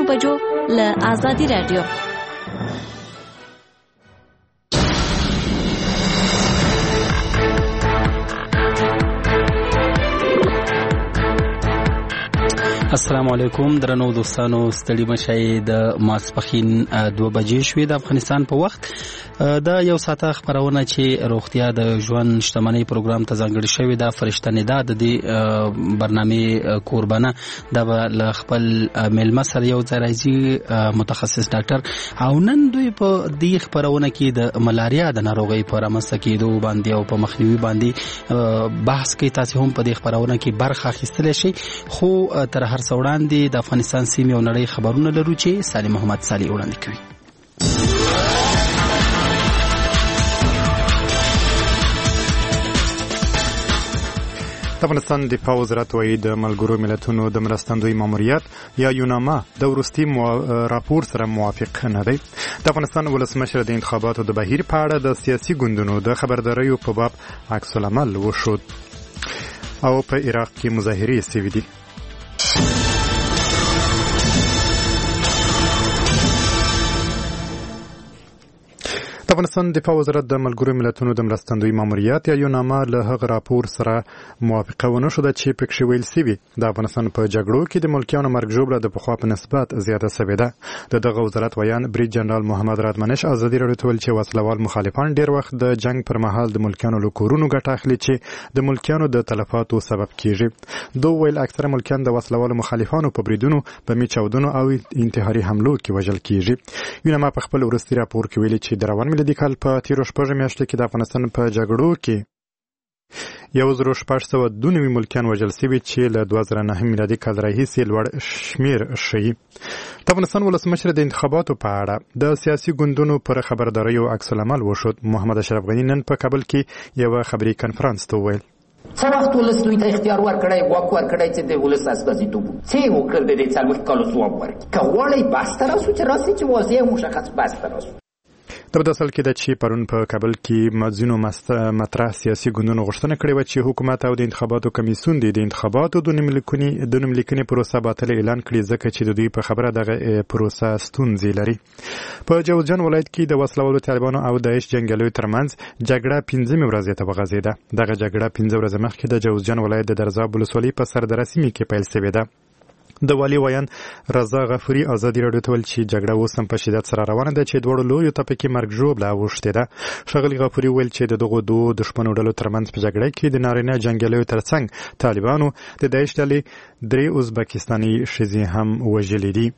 نیمو بجو له ازادي راډیو. السلام علیکم درنو دوستانو، ستړي مشي. د ماسپخین 2 بجې شوې د افغانستان په وخت. دا یو ساعته خبرونه چې روغتیا د ژوند شتمنۍ پروګرام ته ځانګړې شوې ده. فرشته ندا د دې برنامه کوربنه دا له خپل میلمه سره یو ځای راځي، متخصص ډاکټر، او نن دوی په دې خبرونه کې د ملاریا د ناروغۍ پر رامنځته کېدو باندې او په مخنیوي باندې بحث کوي. تاسو هم په دې خبرونه کې برخه اخیستلی شئ. خو تر هر څه وړاندې د افغانستان، سیمې او نړۍ خبرونه لرو چې صالح محمد صالح وړاندې کوي. د افغانستان دفاع وزارت وایي، د ملګرو ملتونو د مرستندوی ماموریت یا یوناما د وروستي راپور سره موافق نه دی. د افغانستان ولسمشر د انتخاباتو د بهیر په اړه د سیاسي ګوندونو د خبرداریو په باب عکس العمل وښود. او په عراق کې مظاهرې سوي دي. د افغانستان دفاع وزارت د ملګرو ملتونو د مرستندوی ماموریت یا یوناما له هغه راپور سره موافقه ونه شوه چې پکښې ویل سوي د افغانستان په جګړو کې د ملکیانو مرګ ژوبله د پخوا په نسبت زیاته سوې ده. د دغه وزارت ویاند برید جنرال محمد رادمنش ازادي راډیو ته ویل چې وسلوال مخالفان ډیر وخت د جنګ پر مهال د ملکیانو له کورونو ګټه اخلي چې د ملکیانو د تلفاتو سبب کیږي. ده وویل، اکثره ملکیان د وسلوالو مخالفانو په بریدونو، بمي چاودنو او انتحاري حملو کې وژل کیږي. یوناما په خپل وروستي راپور کې ویلي چې د روان میلادي کال په تیرو 6 میاشتو کې د افغانستان په جګړو کې 1692 ملکیان وژل شوي چې له 2009 میلادي کال راهیسې لوړ شمیر ښيي. د افغانستان ولسمشر د انتخاباتو په اړه د سیاسي ګوندونو پر خبرداریو عکس العمل وښود. محمد اشرف غني نن په کابل کې یوه خبري کنفرانس ته وویل، څه وخت ولس دوی ته اختیار ورکړی، واک ورکړی چې د ولس استازیتوب څه یې وکړل؟ د دې 40 کالو ځواب ورکړي. که غواړئ بحث ته راسو، چې راسي، چې واضح او مشخص بحث ته راسو. دا په اصل کې ده چې پرون په کابل کې ځینو مطرح سیاسي ګوندونو غوښتنه کړې وه چې حکومت او د انتخاباتو کمیسیون دې د انتخاباتو د نوملیکنې پروسه باطله اعلان کړي، ځکه چې د دوی په خبره دغه پروسه ستونزې لري. په جوزجان ولایت کې د وسلوالو طالبانو او داعش جنګیالیو ترمنځ جګړه پنځمې ورځې ته وغځېده. دغه جګړه 5 ورځې مخکې د جوزجان ولایت د درزاب ولسوالۍ په سردره سیمې کې پیل شوې ده. د والي ویاند رضا غفوري ازادي راډیو ته ویل چې جګړه اوس هم په شدت سره روانه ده چې دواړو لوریو ته پکې مرګ ژوبله اوښتې ده. ښاغلي غفوري وویل چې د دغو دوو دښمنو ډلو ترمنځ په جګړه کې د نارینه جنګیالیو ترڅنګ طالبانو د داعش ډلې 3 ازبکستاني ښځې هم وژلې دي.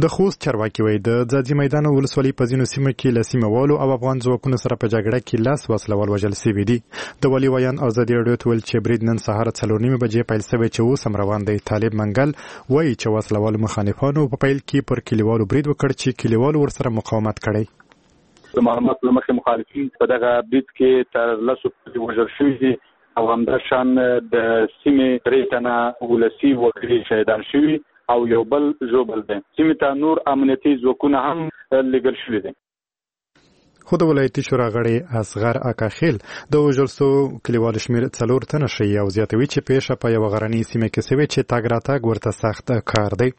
د خوست چارواکي وایي، د ځاځي میدان ولسوالۍ په ځینو سیمو کې له سیمه والو او افغان ځواکونو سره په جګړه کې 10 وسلوال وژل شوي دي. د والي ویاند ازادي راډیو ته ویل چې برید نن سهار 4:30 بجې پیل شوی چې اوس هم روان دی. طالب منګل وایي چې وسلوالو مخالفانو په پیل کې پر کلیوالو برید وکړ چې کلیوالو ورسره مقاومت کړی. د معلوماتو له مخې مخالفین په دغه برید کې تر 10 پورې وژل شوي دي او همداشان د سیمې 3 تنه ولسي وګړي شهیدان شوي او یو بل ژوبل دی. سیمې ته نور امنیتي ځواکونه هم لیږل شوي دي. خو د ولایتي شورا غړی اصغر اکاخیل د وژل سوو کلیوالو شمېر 4 تنه ښيي او زیاتوي چې پېښه په یوه غرنۍ سیمه کې سوې چې تګ راتګ ورته سخت کار دی.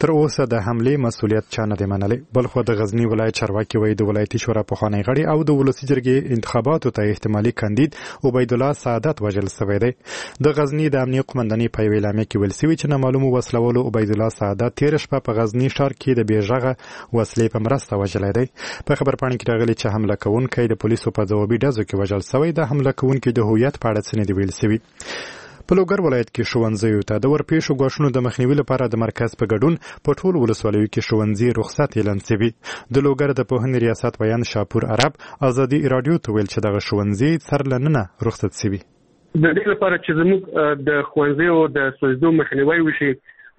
تر اوسه د حملې مسوولیت چا نه دی منلی. بلخوا د غزني ولایت چارواکي وایي، د ولایتي شورا پخوانی غړی او د ولسي جرګې انتخاباتو ته احتمالي کاندید عبیدالله سعادت وژل سوی دی. د غزني د امنیې قومندانۍ په یوې اعلامیه کې ویل سوي چې نامعلومو وسلوالو عبیدالله سعادت تېره شپه په غزني ښار کې د بې غږه وسلې په مرسته وژلی دی. په خبرپاڼه کې راغلي چې حمله کوونکی د پولیسو په ځوابي ډزو کې وژل شوی. د حمله کوونکي د هویت په اړه څه نه دي ویل شوي. په لوګر ولایت کې ښوونځیو ته د ورپېښو ګواښونو د مخنیوي لپاره د مرکز په ګډون په ټولو ولسوالیو کې ښوونځي رخصت اعلان شوي. د لوګر د پوهنې ریاست ویاند شاپور عرب ازادي راډیو ته ویل چې دغه ښوونځي سر له ننه رخصت شوي. د دې لپاره چې زموږ د ښوونځیو د سوځېدو مخنیوی وشي،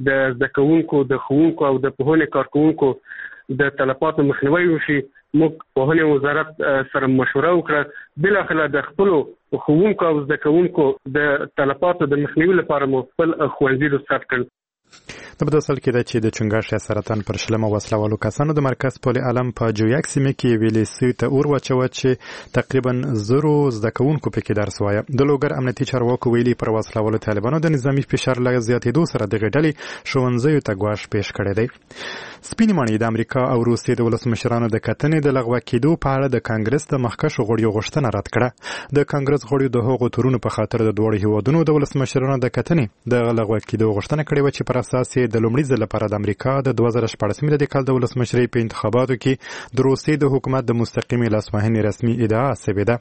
د زده کوونکو، د ښوونکو او د پوهنې کارکوونکو د تلفاتو مخنیوی وشي، موږ پوهنې وزارت سره مشوره وکړه. بالاخره د خپلو ښوونکو او زده کوونکو د تلفاتو د مخنیوي لپاره مو خپل ښوونځي رخصت کړل. دا په داسې حال کې ده چې د چنګاښ یا سرطان پر شلمه وسله والو کسانو د مرکز پل علم په جویک سیمه کې یوې لیسې ته اور واچوه چې تقریبا زرو زده کوونکو پکې درس وایه. د لوګر امنیتي چارواکو ویلي، پر وسله والو طالبانو د نظامي فشار له زیاتېدو سره دغې ډلې ښوونځیو ته ګواښ پېښ کړی دی. سپینې ماڼۍ د امریکا او روسیې د ولسمشرانو د کتنې د لغوه کېدو په اړه د کانګرس د مخکښو غړیو غوښتنه رد کړه. د کانګرس غړیو د هغو تورونو په خاطر د دواړو هیوادونو د ولسمشرانو د کتنې د لغوه کېدو غوښتنه کړې وه چې پر اساس یې د لومړي ځل لپاره د امریکا د 2016 میلادي کال د ولسمشرۍ په انتخاباتو کې د روسیې د حکومت د مستقیمې لاسوهنې رسمي ادعا شوې ده.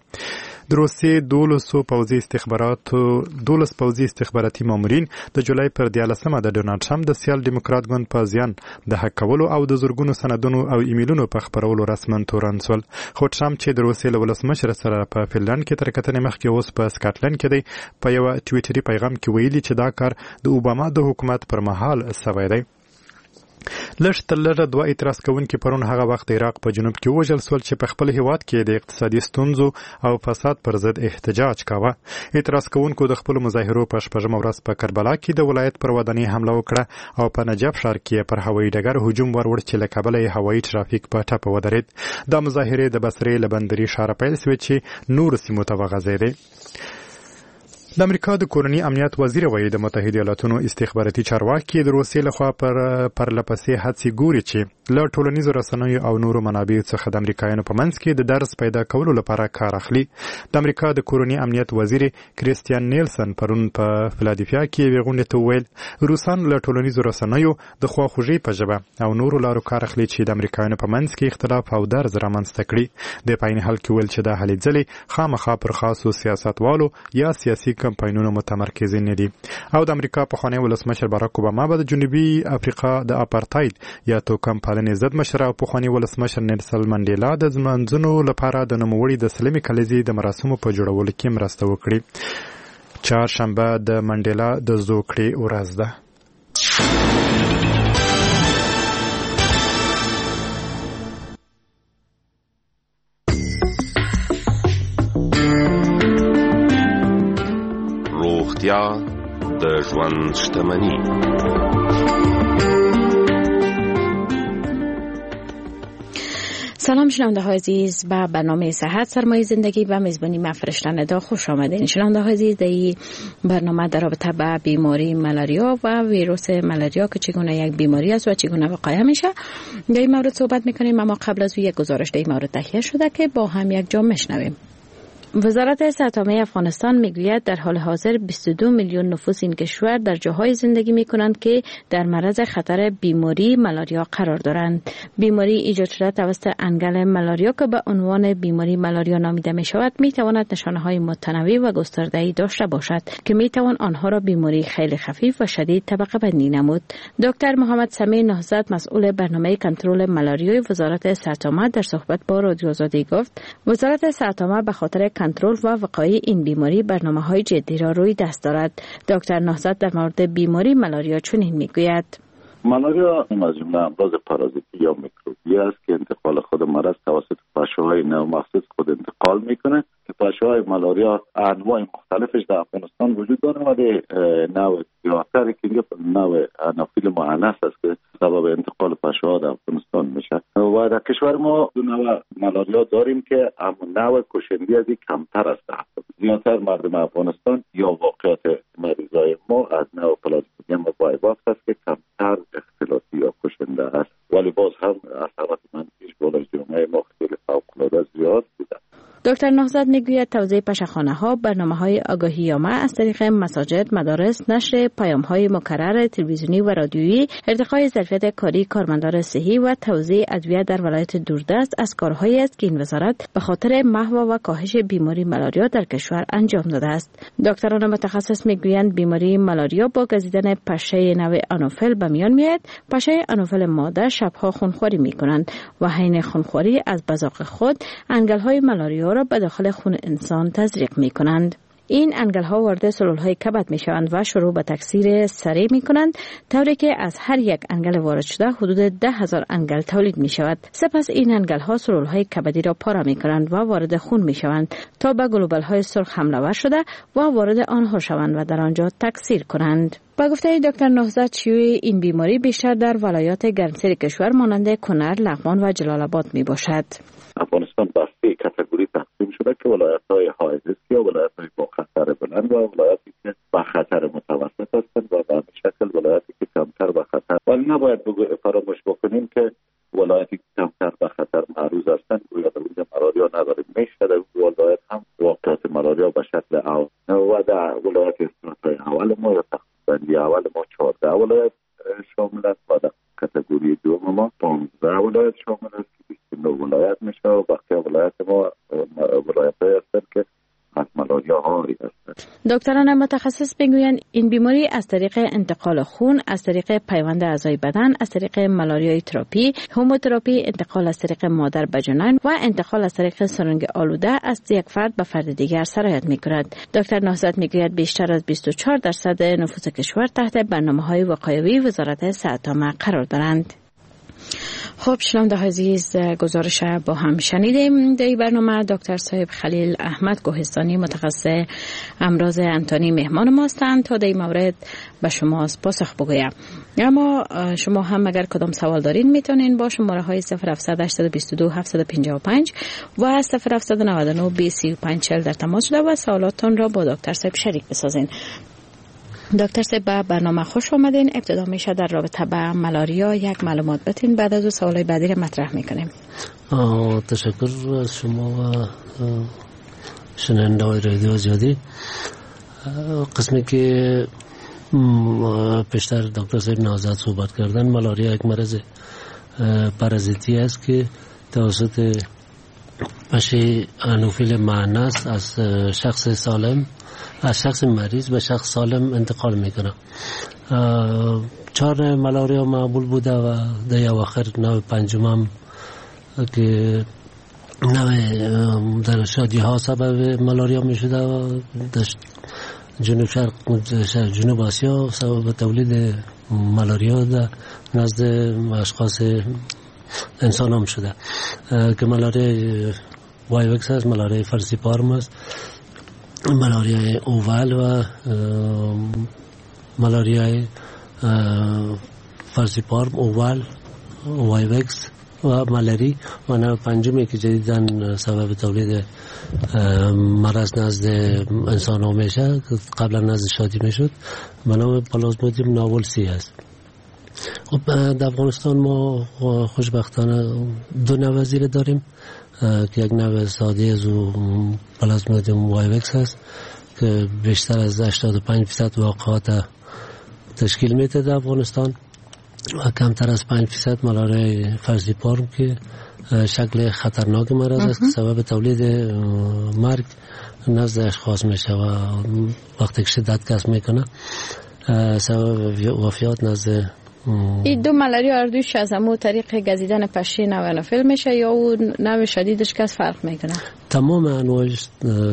د روسیې 12 پوځي استخباراتي مامورین د جولای پر 13مه د ډونالډ ټرمپ د سیال دیموکرات ګوند په زیان د هک کولو او د زرګونو سندونو او ایمیلونو په خپرولو رسما تورن شول. خو ټرمپ چې د روسیې له ولسمشر سره په فنلنډ کې تر کتنې مخکې اوس په سکاټلنډ کې دی، په یوه ټویټري پیغام کې ویلي چې دا کار د اوباما د حکومت پر مهال شوی دی. لږ تر لږه دوه اعتراض کوونکي پرون هغه وخت د عراق په جنوب کې ووژل شول چې په خپل هیواد کې د اقتصادي ستونزو او فساد پر ضد احتجاج کاوه. اعتراض کوونکو د خپلو مظاهرو په شپږمه ورځ په کربلا کې د ولایت پر ودانۍ حمله وکړه او په نجف ښار کې پر هوایي ډګر هجوم وروړ چې له کبله یې هوایي ترافیک په ټپه ودرېد. دا مظاهرې د بصرې له بندري ښاره پیل شوې چې نورو سیمو ته وغځېدې. د امریکا د کورني امنیت وزیر وایي، د متحده ایالاتونو استخباراتي چارواکي د روسیې لخوا پر پرلپسې هڅې ګوري چې له ټولنیزو رسنیو او نورو منابعو څخه د امریکایانو په منځ کې د درز پیدا کولو لپاره کار اخلي. د امریکا د کورني امنیت وزیر کریستیان نیلسن پرون په فلادلفیا کې یوې غونډې ته وویل، روسان له ټولنیزو رسنیو د خواخوږۍ په ژبه او نورو لارو کار اخلي چې د امریکایانو په منځ کې اختلاف او درز رامنځته کړي. دی په عین حال کې وویل چې دا هلې ځلې خامخا پر خاصو سیاستوالو یا سیاسي کمپاینونو متمرکزې نه دي. او د امریکا پخوانی ولسمشر باراک اوباما به د جنوبي افریقا د اپارتاید یا توکم پالنې ضد مشر او پخوانی ولسمشر نیلسن منډیلا د لمانځنو لپاره د نوموړي د سلمې کلیزې د مراسمو په جوړولو کې مرسته وکړي. چهارشنبه د منډیلا د زوکړې ورځ ده. روغتیا د ژوند شتمني. سلام شنونده های عزیز، به برنامه صحت سرمایه زندگی به میزبانی من فرشته ندا خوش آمدین. شنونده های عزیز، در این برنامه در رابطه به بیماری ملاریا و ویروس ملاریا که چگونه یک بیماری است و چگونه وقایع میشه در این مورد صحبت میکنیم. اما قبل از او یک گزارش در این مورد تهیه شده که با هم یک جا میشنویم. وزارت صحت عامه افغانستان میگوید در حال حاضر 22 میلیون نفوس این کشور در جاهای زندگی میکنند که در معرض خطر بیماری ملاریا قرار دارند. بیماری ایجاد شده توسط انگل ملاریا که به عنوان بیماری ملاریا نامیده می شود، می تواند نشانه های متنوع و گسترده‌ای داشته باشد که می توان آنها را بیماری خیلی خفیف و شدید طبقه بندی نمود. دکتر محمد سمیع نهضت، مسئول برنامه کنترل ملاریای وزارت صحت عامه، در صحبت با رادیو آزادی گفت وزارت صحت عامه به خاطر کنترل و وقایع این بیماری برنامه‌های جدی را روی دست دارد. دکتر نهضت در مورد بیماری ملاریا چنین میگوید: ملاریا از جمله امراض پارازیتی یا میکروبی است که انتقال خود مرض توسط پشه‌های نوع مخصوص خود انتقال میکنه که پشه‌های ملاریا انواع مختلفش در افغانستان وجود داره، ولی نوع زیادتر که نوع انافیل مؤنث است که سبب انتقال پشه‌ها در افغانستان میشه. و در کشور ما دو نوع ملاریا داریم که اما نوع کشنده از این کمتر است. زیادتر مردم افغانستان یا واقعیت مریضای ما از نوع پلازمودیم و وایواکس است که کمتر اختلاطی یا کشنده است، ولی باز هم اثرات منفیش بالای جامعه ما خیلی فوق‌العاده زیاد بوده. دکتر نهضت میگوید توزیع پشه‌خانه ها، برنامه های آگاهی عامه از طریق مساجد، مدارس، نشر پیام های مکرر تلویزیونی و رادیویی، ارتقای ظرفیت کاری کارمندان صحی و توزیع ادویه در ولایت دوردست از کارهایی است که این وزارت به خاطر محو و کاهش بیماری ملاریا در کشور انجام داده است. دکتران متخصص میگویند بیماری ملاریا با گزیدن پشه نوع آنوفل به میان میآید. پشه آنوفل ماده شبها خونخواری میکنند و حین خونخواری از بزاق خود انگل های ملاریا را به داخل خون انسان تزریق می کنند. این انگل ها وارد سلول های کبد می شوند و شروع به تکثیر سریع می کنند، طوری که از هر یک انگل وارد شده حدود 10,000 انگل تولید می شود. سپس این انگل ها سلول های کبدی را پاره می کنند و وارد خون می شوند تا به گلوبل های سرخ حمله ور شده و وارد آنها شوند و در آنجا تکثیر کنند. با گفته دکتر نهضت، شیوع این بیماری بیشتر در ولایات گرمسیر کشور مانند کنر، لغمان و جلال آباد می باشد. افغانستان به سه category تقسیم شده که ولایت های high risk یا ولایت های با خطر بلند و ولایاتی که با خطر متوسط هستند و به شکل ولایتی که کمتر به خطر. ولی نباید فراموش بکنیم که ولایتی که کمتر به خطر معروض هستند گویا در اونجا ملاریا نداریم. میشه در ولایت هم واقعات ملاریا به شکل اول و در ولایت استراتای اول ما یا تقسیم اول ما 14 ولایت شامل است و در category دوم ما 15 ولایت شامل است که 29 ولایت میشه و بقیه ولایت ما ولایت های هستند که از ملاریا عاری هستند. دکتران متخصص میگویند این بیماری از طریق انتقال خون، از طریق پیوند اعضای بدن، از طریق ملاریای تراپی، هوموتراپی، انتقال از طریق مادر به جنین و انتقال از طریق سرنگ آلوده از یک فرد به فرد دیگر سرایت میکند. دکتر نهضت میگوید بیشتر از 24% نفوس کشور تحت برنامه‌های وقایوی وزارت صحت عامه قرار دارند. خب شنونده عزیز، گزارش با هم شنیدیم. در این برنامه دکتر صاحب خلیل احمد کوهستانی، متخصص امراض انتانی، مهمان ما هستند تا در این مورد به شما پاسخ بگویم. اما شما هم اگر کدام سوال دارین میتونین با شماره های 0782 755 و 0799 35 در تماس شده و سوالاتتان را با دکتر صاحب شریک بسازین. دکتر صاحب، به برنامه خوش آمدین. ابتدا میشه در رابطه با ملاریا یک معلومات بتین، بعد از او سوالای بعدی را مطرح میکنیم. تشکر از شما و شنونده های رادیو آزادی. قسمی که پیشتر دکتر صاحب نهضت صحبت کردن، ملاریا یک مرض پارازیتی است که توسط پشه انوفیل معنس از شخص سالم، از شخص مریض به شخص سالم انتقال میکنه. 4 ملاریا معمول بوده و در اواخر نوع پنجم هم که نوع در شادی ها سبب ملاریا میشده و در جنوب شرق، جنوب آسیا سبب تولید ملاریا در نزد اشخاص انسان هم شده که ملاریا وایوکس است، ملاریا فالسیپارم است، ملاریای اوول و ملاریای فالسیپارم، اوول، وایوکس و ملاری و نوع پنجمی که جدیداً سبب تولید مرض نزد انسان ها میشه، قبلا نزد شادی میشد، به نام پلازمودیوم ناولسی است. خب در افغانستان ما خوشبختانه 2 نوع زیره داریم که یک نوع ساده از او پلازمودیوم وایوکس است که بیشتر از 85% واقعات تشکیل میده در افغانستان و کمتر از 5% ملاریای فالسیپارم که شکل خطرناک مرض است که سبب تولید مرگ نزد اشخاص میشه و وقتی که شدت کسب میکنه سبب وفیات نزد این دو ملاریا اردوش از همو طریق گزیدن پشه نوع انوفیل میشه یا او نوع شدیدش کس فرق میکنه؟ تمام انواعش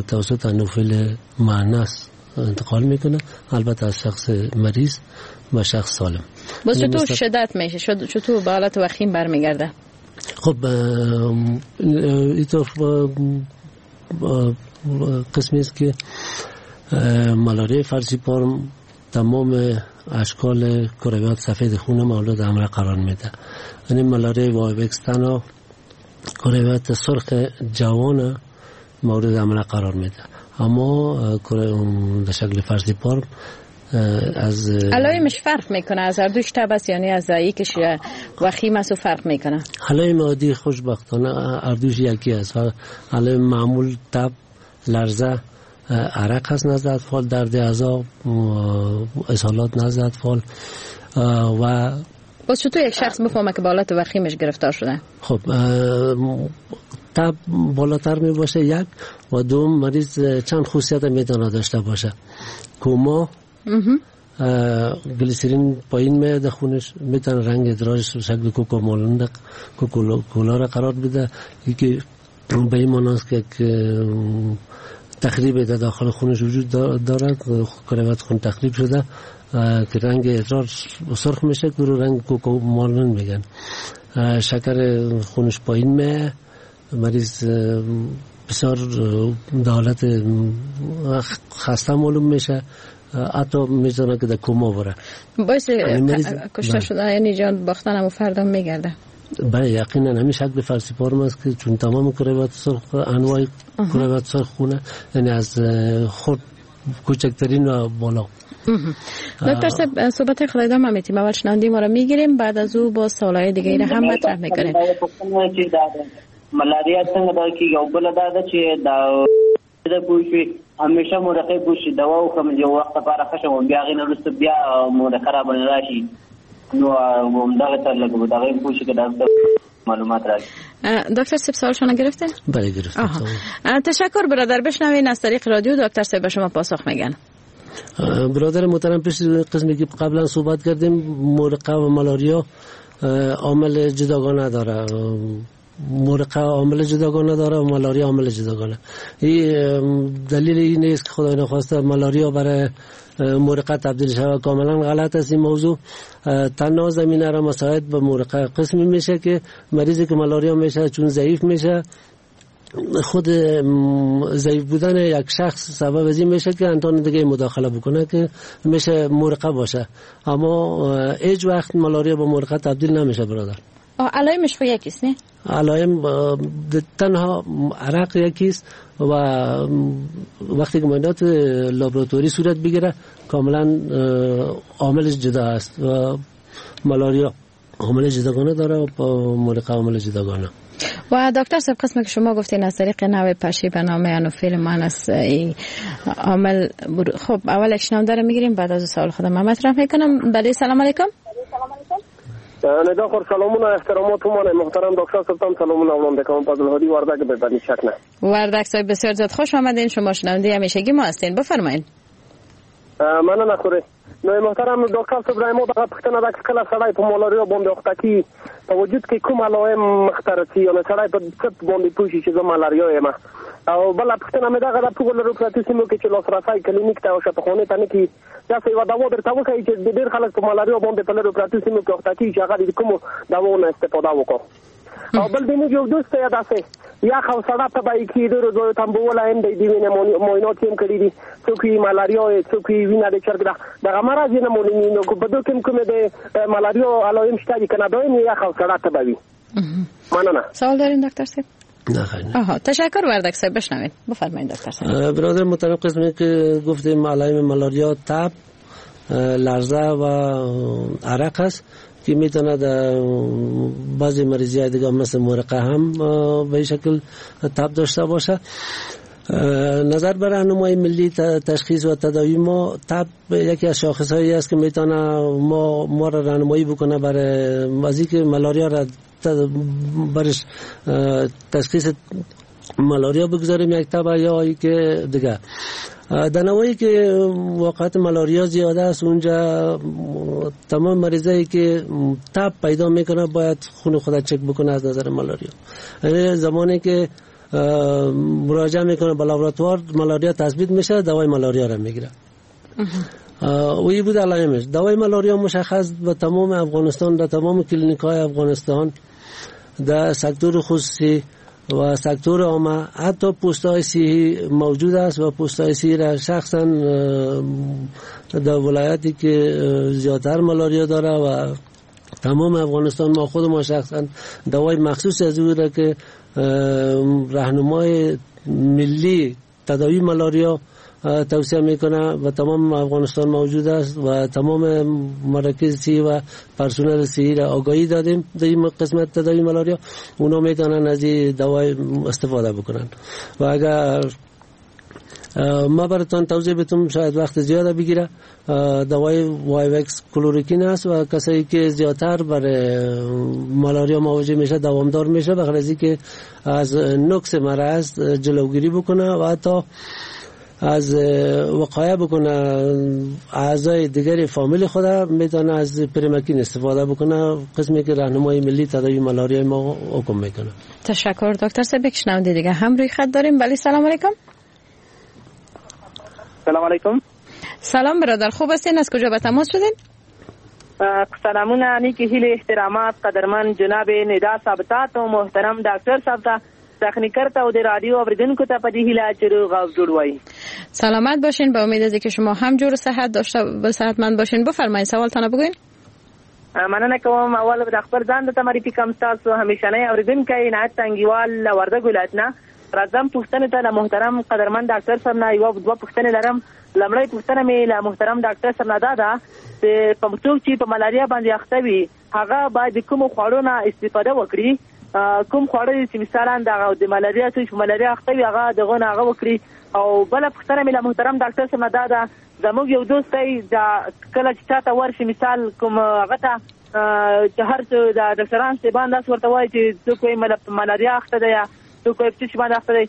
توسط انوفیل معنس انتقال میکنه، البته از شخص مریض به شخص سالم. باز چطور شدت میشه؟ چطور به حالت وخیم برمیگرده؟ خب اینطور قسمی است که ملاریا فالسیپارم تمام اشکال کرویات سفید خون مولود حمله قرار میده. یعنی ملاریا وایوکس تنها کرویات سرخ جوان مورد حمله قرار میده، اما در شکل فالسیپارم از علائمش فرق میکنه، از هر دوش تب است، یعنی از یکش وخیم است و فرق میکنه. علائم عادی خوشبختانه هر دوش یکی است. علائم معمول تب، لرزه، عرق هست نزد اطفال، درد اعضا، اسهالات نزد اطفال و باز چطور یک شخص بفهمه که به حالت وخیمش گرفتار شده؟ خب تب بالاتر می باشه یک، و دوم مریض چند خصوصیت میتونه داشته باشه. کوما، گلیسرین پایین میاد خونش، میتونه رنگ ادرارش شکل کوکا کولا را قرار بده، یکی به این معنی است که تخریب در داخل خونش وجود دارد، کرویات خون تخریب شده که رنگ ادرار سرخ میشه که رو رنگ کوکو مانند میگن. شکر خونش پایین میه، مریض بسیار در حالت خسته معلوم میشه، حتی میتونه که در کما بره. باعث کشته شده یعنی جان باختن هم فردا میگرده. بله یقینا همین شکل فلسیپارم است که چون تمام کرویات سرخ، انواع کرویات سرخ خونه، یعنی از خود کوچکترین و بالا. دکتر صاحب صحبت خود ادامه میتیم، اول شنونده ما رو میگیریم، بعد از او با سوالای دیگه را هم مطرح میکنیم. ملاریا څنګه دا کې یو بل دا ده چې دا د پوښي همیشه مورخه پوښي دوا او کوم یو وخت لپاره خشه بیا غي نرسته بیا مورخه را باندې راشي، نو همدغه تر لګو دغه پوښي کې دا معلومات راکړي. دکتر صاحب سوالشون گرفته؟ بله گرفتم. تشکر برادر. بشنوین از طریق رادیو دکتر صاحب به شما پاسخ میگن. برادر محترم، پیش قسمی که قبلا صحبت کردیم، مورقه و مالاریا عامل جداگانه داره. مورقه عامل جداگانه داره و مالاریا عامل جداگانه. این دلیل این نیست که خدای نخواسته مالاریا برای مورقه تبدیل شود، کاملا غلط است این موضوع. تنها زمینه را مساعد به مورقه قسمی میشه که مریضی که مالاریا میشه چون ضعیف میشه، خود ضعیف بودن یک شخص سبب از این میشه که انتان دیگه مداخله بکنه که میشه مورقه باشه، اما هیچ وقت مالاریا به مورقه تبدیل نمیشه برادر. علائمش خو یکیست نه؟ علائم تنها عرق یکیست و وقتی که معاینات لابراتوری صورت بگیره کاملا عاملش جدا است و مالاریا عامل جداگانه داره و مورقه عامل جداگانه. و دکتر صاحب قسمی که شما گفتین از طریق نوع پشه به نام انوفیل مانس عامل، خب اول اکشنام داره میگیریم، بعد از سوال خودم مطرح میکنم. بله سلام علیکم. ندا خور سلامونه احترامات مانه محترم دکتر صاحب، سلامونه وړاندې کوم. فضل هادی وردک به بنی شک نه. وردک صاحب بسیار زیاد خوش آمدین، شما شنونده همیشگی ما هستین، بفرمایید. مننه خورې. نو محترم ډاکټر صاحب ما دغه پوښتنه ده چې کله سړی په مالاریا باندې اخته کیږي په وجود کې کوم علائم مخته رسي، یعنې سړی په څه باندې پوه شي چې زه مالاریا یم؟ او بله پوښتنه مې دغه ده په لرو پرتو سیمو کې چې لاسرسی کلینیک ته او شفاخانې ته نه کېږي، داسې یوه دوا درته وښیي چې ډېر خلک په مالاریا باندې په لرو پرتو سیمو کې اخته کېږي چې هغه د کومو دواو نه استفاده وکړو. او بل د موږ یو دوست دی داسې یخ او سړه تبه یې کېږي، ډېرو ځایو ته هم بولی هم دی، د وینې معاینات یې هم کړي دي، څوک یې مالاریا یې، څوک یې وینه د چرګ ده، دغه مرض یې نه معلومېږي. نو په دوی کې هم کومې د مالاریا علایم شته دي که نه، دایم یې یخ او سړه تبه وي. مننه. سوال دارین دکتر صاحب؟ نه خیر. آها تشکر وردک صاحب. بشنوید بفرمایید دکتر صاحب. برادر محترم، قسمی که گفتیم علایم مالاریا تب، لرزه و عرق است که میتونه در بعضی مریضی های دیگه مثل مورقه هم به شکل تب داشته باشه. نظر بر راهنمای ملی تشخیص و تداوی ما، تب یکی از شاخص هایی است که میتونه ما را راهنمایی بکنه برای از اینکه مالاریا را برش تشخیص مالاریا بگذاریم یک تب یا که دیگه. در نوعی که واقعیت مالاریا زیاده است اونجا تمام مریضایی که تب پیدا میکنه باید خون خود چک بکنه از نظر مالاریا. یعنی زمانی که مراجعه میکنه به لابراتوار مالاریا تثبیت میشه، دوای مالاریا را میگیره. و این بود علائمش. دوای مالاریا مشخص به تمام افغانستان، در تمام کلینیک های افغانستان، در سکتور خصوصی و سکتور عامه، حتی پست‌های صحی موجود است و پست‌های صحی را شخصا در ولایتی که زیادتر مالاریا داره و تمام افغانستان ما خود ما شخصا دوای مخصوص از او را که راهنمای ملی تداوی مالاریا توصیه میکنه و تمام افغانستان موجود است و تمام مراکز صحی و پرسنل صحی را آگاهی دادیم در این قسمت تداوی مالاریا، اونا میتونن از این دوای استفاده بکنن. و اگر ما براتون توضیح بدم شاید وقت زیاده بگیره، دوای وایوکس کلوروکین است و کسایی که زیادتر برای مالاریا مواجه میشه دوامدار میشه، بخاطر از اینکه از نقص مرض جلوگیری بکنه و حتی از وقایع بکنه اعضای دیگر فامیل خود میتونه از پریماکین استفاده بکنه، قسمی که راهنمای ملی تداوی مالاریا ما حکم میکنه. تشکر دکتر صاحب. شنونده دیگه هم روی خط داریم. بله سلام علیکم. سلام علیکم. سلام برادر، خوب هستین؟ از کجا به تماس شدین؟ سلامونه، نیکی هیلې، احترامات قدرمن جناب ندا صاحب ته او محترم ډاکټر صاحب ته، تخنیکر ته او د رادیو اوریدونکو ته په دې هیله چې روغ او جوړ وای. سلامت باشین، به امید از که شما هم جور و صحت داشته و صحتمند باشین. بفرمایید سوالتان بگوین. مننه کوم. اول د خپل ځان د معرفي کوم، تاسو همیشنی اوریدونکی عنایت تنګیوال له وردګ ولایت نه. راځم پوښتنې ته له محترم قدرمن ډاکټر صاحب نه یوه دوه پوښتنې لرم. لومړۍ پوښتنه مې له محترم ډاکټر صاحب نه دا ده چې په څوک چې په ملاریا باندې اخته وي هغه باید د کومو خواړو نه استفاده وکړي؟ کوم خواړه چې مثلا دغه د ملاریا څوک چې په ملاریا اخته وي هغه دغه نه هغه وکړي. او بله پوښتنه مې له محترم ډاکټر صاحب نه دا ده، زموږ یو دوست دی دا کله چې چاته ورشي مثال کوم هغه ته چې هر څه د ډاکټران صاحبان داسې ورته وایي چې څوک وایي ملاریا اخته دی یا څوک وایي په څه شي باندې اخته دی،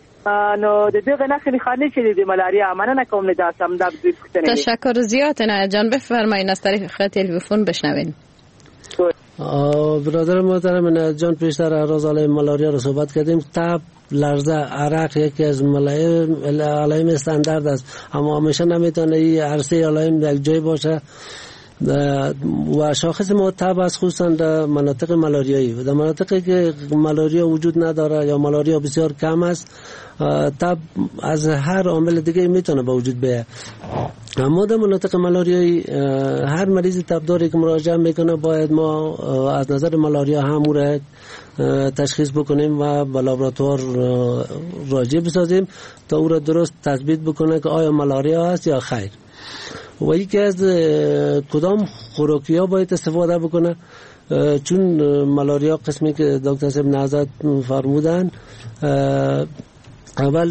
نو د دغه نښې نښانې چې د ملاریا. مننه کوم له دا سم دا دوی پوښتنې. تشکر زیاد عنایت جان. بفرمایید از طریق تلفن بشنوین. برادر محترم عنایت جان، پیشتر راز علیه ملاریا رو صحبت کردیم. تب، لرزه، عرق یکی از علائم استاندارد است، اما همیشه نمیتونه این هر سه علائم یک جای باشه و شاخص ما تب است، خصوصا در مناطق ملاریایی. و در مناطقی که ملاریا وجود نداره یا ملاریا بسیار کم است، تب از هر عامل دیگه میتونه به وجود بیاید. اما در مناطق ملاریایی هر مریض تبداری که مراجعه میکنه باید ما از نظر ملاریا هم او را تشخیص بکنیم و به لابراتوار راجع بسازیم تا او را درست تثبیت بکنه که آیا ملاریا است یا خیر. و یکی از کدام خوراکی ها باید استفاده بکنه، چون ملاریا قسمی که دکتر صاحب نهضت فرمودن، اول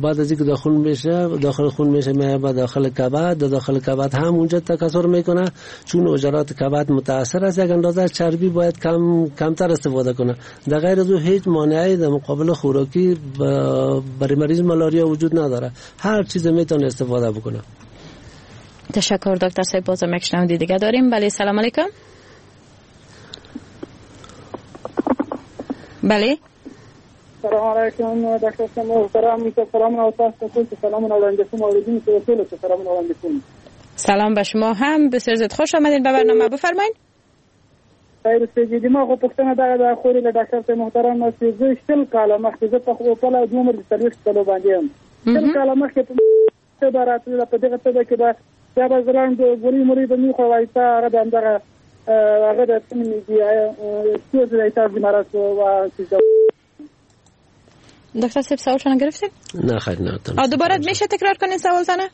بعد از اینکه داخل میشه، داخل خون میشه، میاد به داخل کبد، داخل کبد هم اونجا تکثر میکنه. چون حجرات کبد متاثر است، یک اندازه چربی باید کمتر استفاده کنه. در غیر از او هیچ مانعی در مقابل خوراکی برای مریض ملاریا وجود نداره، هر چیز میتونه استفاده بکنه. تشکر دکتر صاحب. بازم یک شنونده دیگه داریم. بله، سلام علیکم. بله، سلام علیکم دکتر صاحب محترم، سلام او تاسو ته سلام وړاندې کوم، اوریدونکو ته سلام وړاندې کوم. سلام به شما هم، بسیار زیاد خوش آمدین به برنامه. بفرمایید. خیر اوسئ. د ما غو پوښتنه دا ده خورې له ډاکټر صاحب محترم چې زه 20 کاله مخکې، زه په خپل عمر د 40 کالو باندې یم، 20 کاله مخکې په راتلله په دغه تبه کې به بیا به زه لاندې ګولۍ مولۍ به مې خوړه، هغه د همدغه هغه د څه نومېږي ستونزې د اعتراض مرض و. دکتر صاحب سوالتان گرفتین؟ نه خیر، نه. دوباره میشه تکرار کنین سوالتانه؟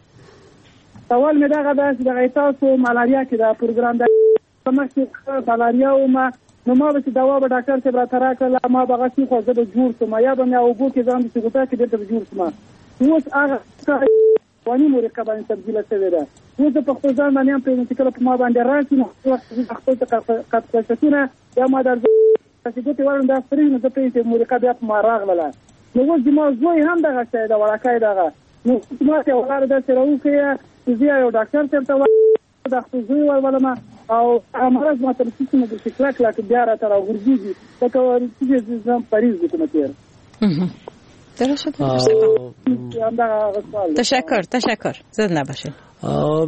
سوال مې دغه ده چې دغه تاسو ملاریا کې دا پروګرام ده مخکې ملاریا ومه، نو ما به چې دوا به ډاکټر صاحب راته راکړله، ما به هغه خو زه به جوړ شم، یا به مې اوبو کې ځان داسې غوټه کې بېرته به جوړ شم. اوس هغه واني مورقه باندې تبدیله شوې ده. اوس زه په خپل ځان باندې هم پوهېږم چې کله په ما باندې راشي نو خپل قطقشتونه یا ما در داسې ګوتې وړم دا سرې، نو زه پوهېږم چې مورقه بیا په ما راغلله. نو اوس زما زوی هم دغه شی ده، وړکی دغه، نو ما ته یوه لاره داسې راوښیه چې زه یو ډاکټر صاحب ته د خپل زوی ورولم او هغه مرض ما ته رسېږي، نو داسې کلک کلک بیا راته راغورځېږي، لکه چې زه پریز وکړم تېر. درست. تشکر زد نباشید.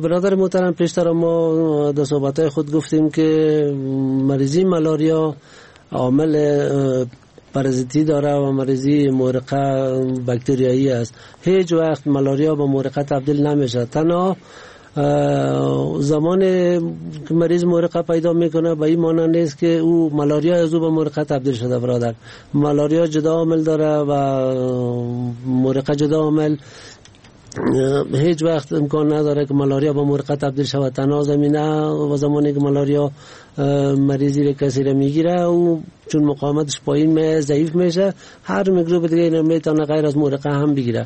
برادر محترم، پیشتر ما در صحبت‌های خود گفتیم که مریضی ملاریا عامل پارازیتی داره و مریضی مورقه باکتریایی است. هیچ وقت ملاریا به مورقه تبدیل نمیشه. تنها زمان که مریض مورقه پیدا میکنه به این معنی نیست که او ملاریا از او به مورقه تبدیل شده. برادر، ملاریا جدا عامل داره و مورقه جدا عامل. هیچ وقت امکان نداره که ملاریا به مورقه تبدیل شود. تنها زمینه و زمانی که ملاریا مریضی رو کسی رو میگیره او چون مقاومتش پایین می ضعیف میشه، هر میکروب دیگه اینو میتونه غیر از مورقه هم بگیره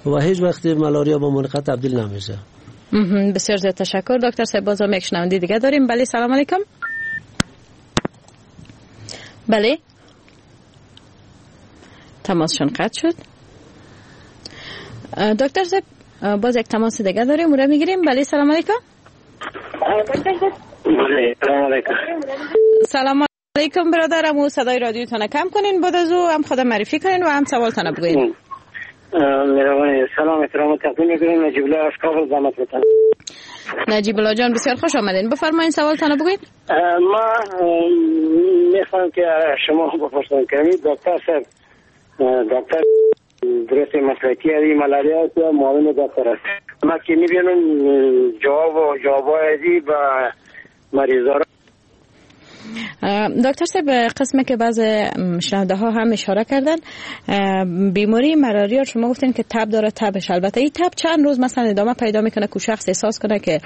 و هیچ وقت ملاریا به مورقه تبدیل نمیشه. بسیار زیاد تشکر دکتر صاحب. بازم یک شنونده دیگه داریم. بله، سلام علیکم. بله، تماسشون قطع شد. دکتر صاحب باز یک تماس دیگه داریم، او را میگیریم. بله، سلام علیکم. بله، سلام علیکم. سلام علیکم برادرم، او صدای رادیوتان کم کنین، بعد از او هم خود معرفی کنین و هم سوالتان بگوین. مهربانی. سلام احترام تقدیم میکنیم. نجیب الله از کابل زحمت میتونم. نجیب الله جان بسیار خوش آمدین، بفرمایید سوالتان بگوین. ما میخوام که شما بپرسم که دکتر صاحب، دکتر درست مسلکی از ملاریا است یا معاون دکتر است؟ ما که میبینم جواب ازی با مریضا. دکتر صاحب، قسمه که بعض شنونده ها هم اشاره کردن، بیماری ملاریا شما گفتین که تب داره، تبش البته این تب چند روز مثلا ادامه پیدا میکنه که شخص احساس کنه که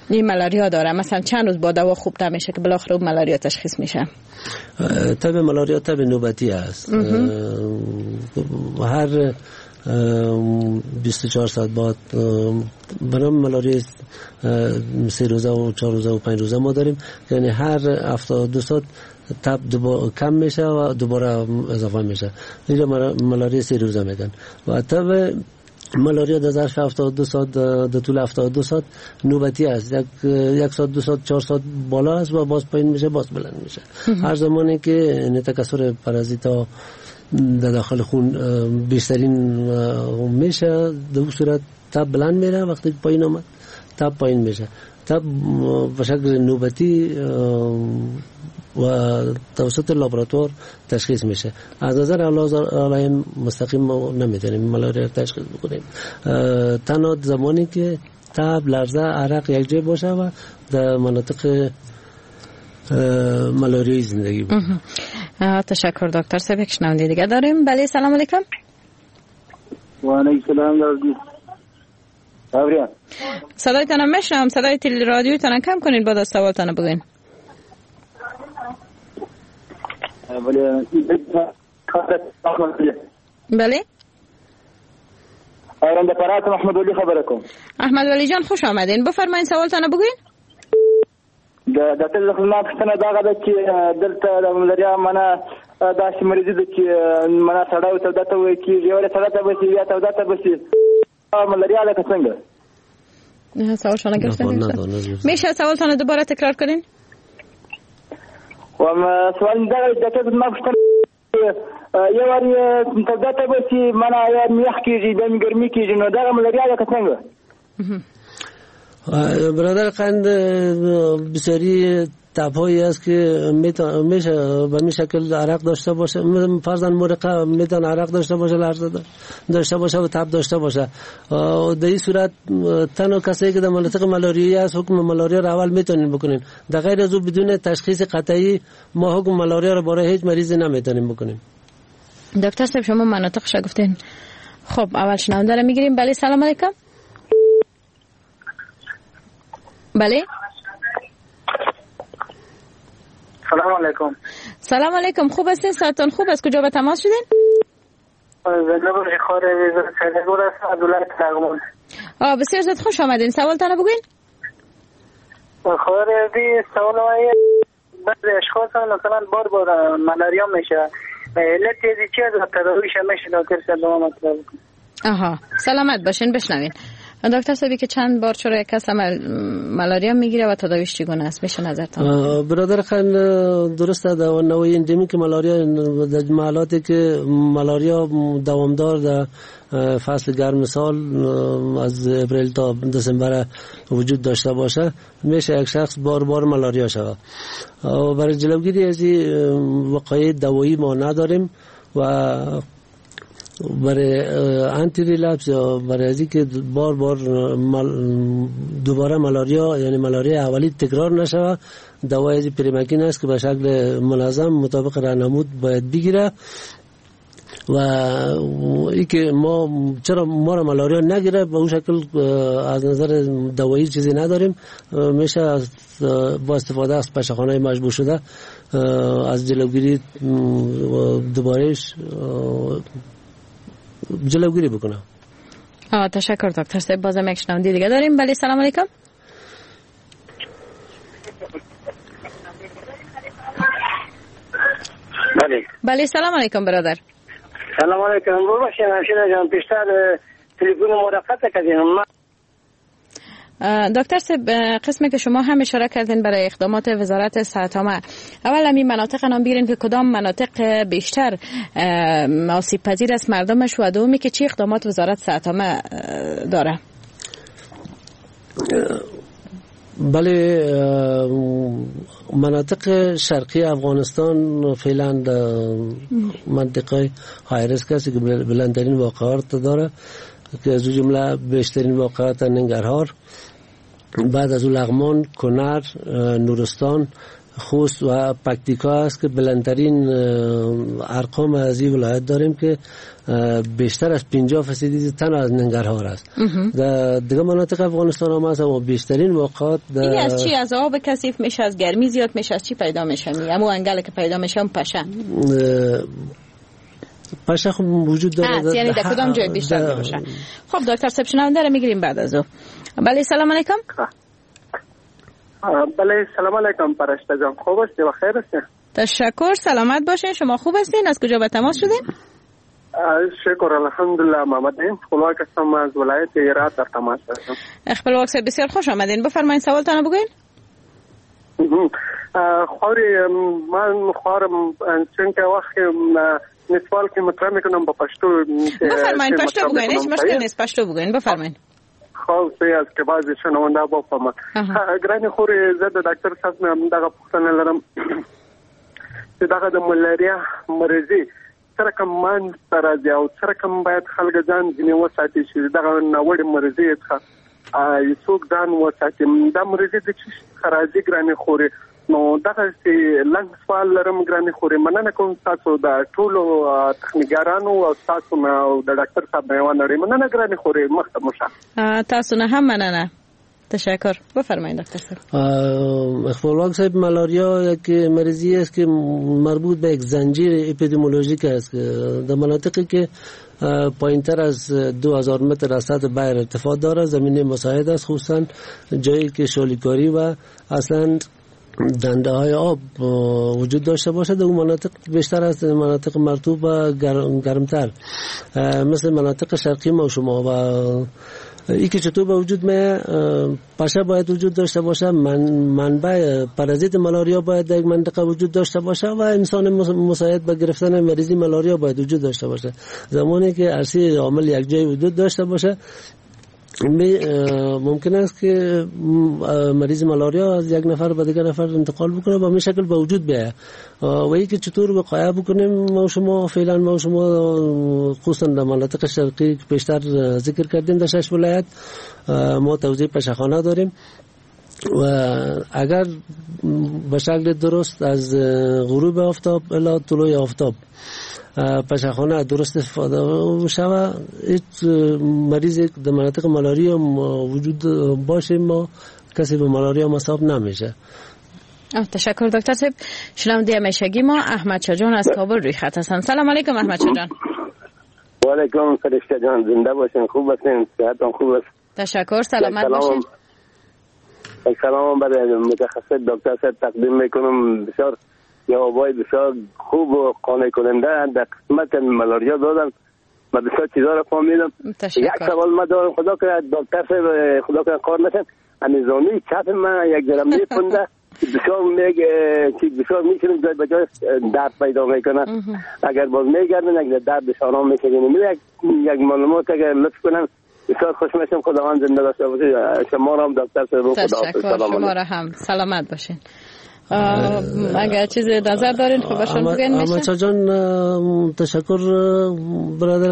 این ملاریا داره، مثلا چند روز با دوا خوب نمیشه که بالاخره ملاریا تشخیص میشه؟ تب ملاریا تب نوبتی است. هر 24 ساعت بعد برای ملاریا 3 روزه و 4 روزه و 5 روزه ما داریم، یعنی هر 72 ساعت تب کم میشه و دوباره اضافه میشه. اینجا ملاریا 3 روزه میگن و تب ملاریا در ظرف 72 ساعت، در طول 72 ساعت نوبتی است. یک ساعت، 2 ساعت، 4 ساعت بالا است و باز پایین میشه، باز بلند میشه. هر زمانی که تکثر پارازیتا در داخل خون بیشترین میشه، در صورت تب بلند میره، وقتی پایین آمد تب پایین میشه. تب به شکل نوبتی و توسط لابراتوار تشخیص میشه. از نظر علائم مستقیم ما نمیتونیم ملاریا تشخیص بکنیم. تنها زمانی که تب، لرزه، عرق یک جای باشه و در مناطق ملاریای زندگی بود. تشکر دکتر صاحب. یک شنونده دیگه داریم. بله سلام علیکم. و علیکم السلام. صدایتان میشنوم، صدای تل رادیو تان کم کنین بعد از سوالتان بگین. بله احمد ولی خبره کوم. احمد ولی جان خوش آمدین، بفرمایین سوالتان بگین. د ډاکټر زما پوښتنه دغه ده چې دلته د ملاریا منه داسې مریضي ده چې منه سړی توده ته ویل کېږي، ولې سړی ته به شي یا توده ته به شي، ملاریا لکه څنګه؟ سوال شما نگرفتم. میشه سوالتان دوباره تکرار کنین؟ سوال دغه ډاکټر زما پوښتنه یو وار توده ته به شي منه یا یخ کېږي بیا ګرمي کېږي، نو دغه ملاریا لکه څنګه؟ برادر قند بسیاری تب‌هایی است که میشه به می شکل عرق داشته باشه، فرضاً مرقه میتونه عرق داشته باشه، لرزه داشته باشه و تب داشته باشه. در این صورت تنها کسایی که در مناطق ملاریایی است حکم ملاریا را اول میتونیم بکنیم. در غیر از او بدون تشخیص قطعی ما حکم ملاریا را برای هیچ مریضی نمیتونیم بکنیم. دکتر صاحب شما مناطقش گفتین. خب اول شنونده را میگیریم. بله سلام علیکم. بله سلام علیکم. سلام علیکم، خوب هستین؟ ساعتان خوب است؟ کجا به تماس شدین؟ بسیار زیاد خوش آمدین. سوالتان بگوین. سوال بعضی اشخاص مثلا بار بار ملاریا میشه، علت چی است؟ تداویش میشه دکتر صاحب مطلب. آها سلامت باشین. بشنوین دکتر صاحبی که چند بار چرا یک کس ملاریا میگیره و تداویش چگونه است، میشه نظرتان؟ برادر خان درسته در نوع اندمیک ملاریا در محلاتی که ملاریا دوامدار در فصل گرم سال از اپریل تا دسامبر وجود داشته باشه، میشه یک شخص بار بار ملاریا شود. برای جلوگیری از این وقایع دوایی ما نداریم و برای anti-relapse یا برای از اینکه بار بار دوباره ملاریا یعنی ملاریا اولی تکرار نشود، دوای از پریماکین است که به شکل منظم مطابق راهنمود باید بگیره. و اینکه ما چرا ما را ملاریا نگیره به اون شکل از نظر دوایی چیزی نداریم، میشه با استفاده از پشه‌خانه مجبور شده از جلوگیری دوبارهش جلوگیری بکنه. تشکر دکتر صاحب. بازم یک شنونده دیگه داریم. بله سلام علیکم. بله بله سلام علیکم برادر. سلام علیکم. ببخشید همشیره جان، پیشتر تلفن ما را قطع کردیم. دکتر صاحب، قسمی که شما هم اشاره کردین برای اقدامات وزارت صحت عامه، اول همین مناطق نام بگیرین که کدام مناطق بیشتر آسیب پذیر است مردمش، و دومی که چه اقدامات وزارت صحت عامه داره؟ بله، مناطق شرقی افغانستان فعلا منطقه های ریسک است که بلندترین واقعات داره که از جمله بیشترین واقعات ننگرهار، بعد از لغمان، کنر، نورستان، خوست و پکتیکا است که بلندترین ارقام از این ولایت داریم که بیشتر از 50% تنها از ننگرهار است. در دیگه مناطق افغانستان هم هست، اما بیشترین واقعات این از چی؟ از آب کثیف میشه، از گرمی زیاد میشه، از چی پیدا میشه؟ همون انگل که پیدا میشه پشه پشه خب وجود داره، یعنی در کدام جای بیشتر میشه؟ خب دکتر صاحب، شنونده رو میگیریم بعد از او. بله، سلام علیکم. بله، سلام علیکم پرشته جان، خوب هستی و خیر هستی؟ تشکر، سلامت باشین. شما خوب هستین؟ از کجا به تماس شدین؟ شکر الحمدلله، محمد خپلواک هستم، از ولایت هرات در تماس هستم. خپلواک صاحب بسیار خوش آمدین، بفرمایید سوالتان بگوین. خوری من خورم چون که وقت سوال که مطرح میکنم با پشتو. بفرمایید پشتو بگوین، هیچ مشکل نیست، پشتو بگوین، بفرمایید. خو سه از کې بعضی شنونده بفهمه. ګرانې خورې، زه د ډاکټر صاحب نه دغه پوښتنه لرم چې دغه د ملاریا مرضی څه رقم منځ ته راځي او څه رقم باید خلک ځان ځینې وساتي چې دغه ناوړې مرضی څخه څوک ځان وساتي؟ دا مرضی د څه څخه راځي ګرانې خورې؟ نو دغه لنډ سوال لرم ګرانې خورې. مننه کوم تاسو د ټولو تخنیکرانو او تاسو نه او د ډاکټر صاحب نه یوه نړۍ مننه ګرانې خورې. مخته مو شه. تاسو نه هم مننه، تشکر. بفرمایید دکتر صاحب. خپلواک صاحب، مالاریا یک مریضی است که مربوط به یک زنجیر اپیدمیولوژیک است در مناطقی که پایینتر از 2000 متر از سطح بحر ارتفاع دارد، زمینه مساعد است، خصوصا جایی که شالیکاری و اصلا دنده های آب وجود داشته باشد. اون مناطق بیشتر از مناطق مرطوب و گرمتر مثل مناطق شرقی ما شما و ای که چطور به وجود می پشه باید وجود داشته باشه، منبع پرازیت مالاریا باید در یک منطقه وجود داشته باشه و انسان مساعد به گرفتن مریضی مالاریا باید وجود داشته باشه. زمانی که ارسی عامل یک جای وجود داشته باشه، ممکن است که مریض مالاریا از یک نفر به دیگر نفر انتقال بکنه و به شکل به وجود بیاید. و ای که چطور وقایع بکنیم ما شما فعلا ما شما خصوصا در مناطق شرقی که پیشتر ذکر کردیم در 6 ولایت ما توزیع پشهخانه داریم و اگر به شکل درست از غروب آفتاب الی طلوع آفتاب پشهخانه درست استفاده شود، هیچ مریض در مناطق مالاریا وجود باشه ما کسی به مالاریا مصاب نمیشه. تشکر دکتر صاحب. شنونده همیشگی ما احمد شاه جان از کابل روی خط هستند. سلام علیکم احمد شاه جان. و علیکم فرشته جان، زنده باشین، خوب باشین، صحتتون خوب است؟ تشکر، سلامت باشین. سلام برای متخصص دکتر صاحب تقدیم میکنم. بسیار جوابای بسیار خوب و قانع کننده در قسمت مالاریا دادن، من بسیار چیزا رو فهمیدم. یک سوال ما دارم، خدا کنه دکتر صاحب خدا کنه کار نشن، همین زانوی چپ من یک ذره میپنده، بسیار میگه بسیار میشینم جای به جای درد پیدا میکنه، اگر باز میگردن یک درد شانه میشه. یک معلومات اگر لطف کنن بسیار خوش میشم. خداوند زنده داشته باشه شما را هم دکتر صاحب. خدا شما را هم سلامت باشین. اگر چیز نظر دارین خب باشون بگین میشه. احمد جان تشکر برادر،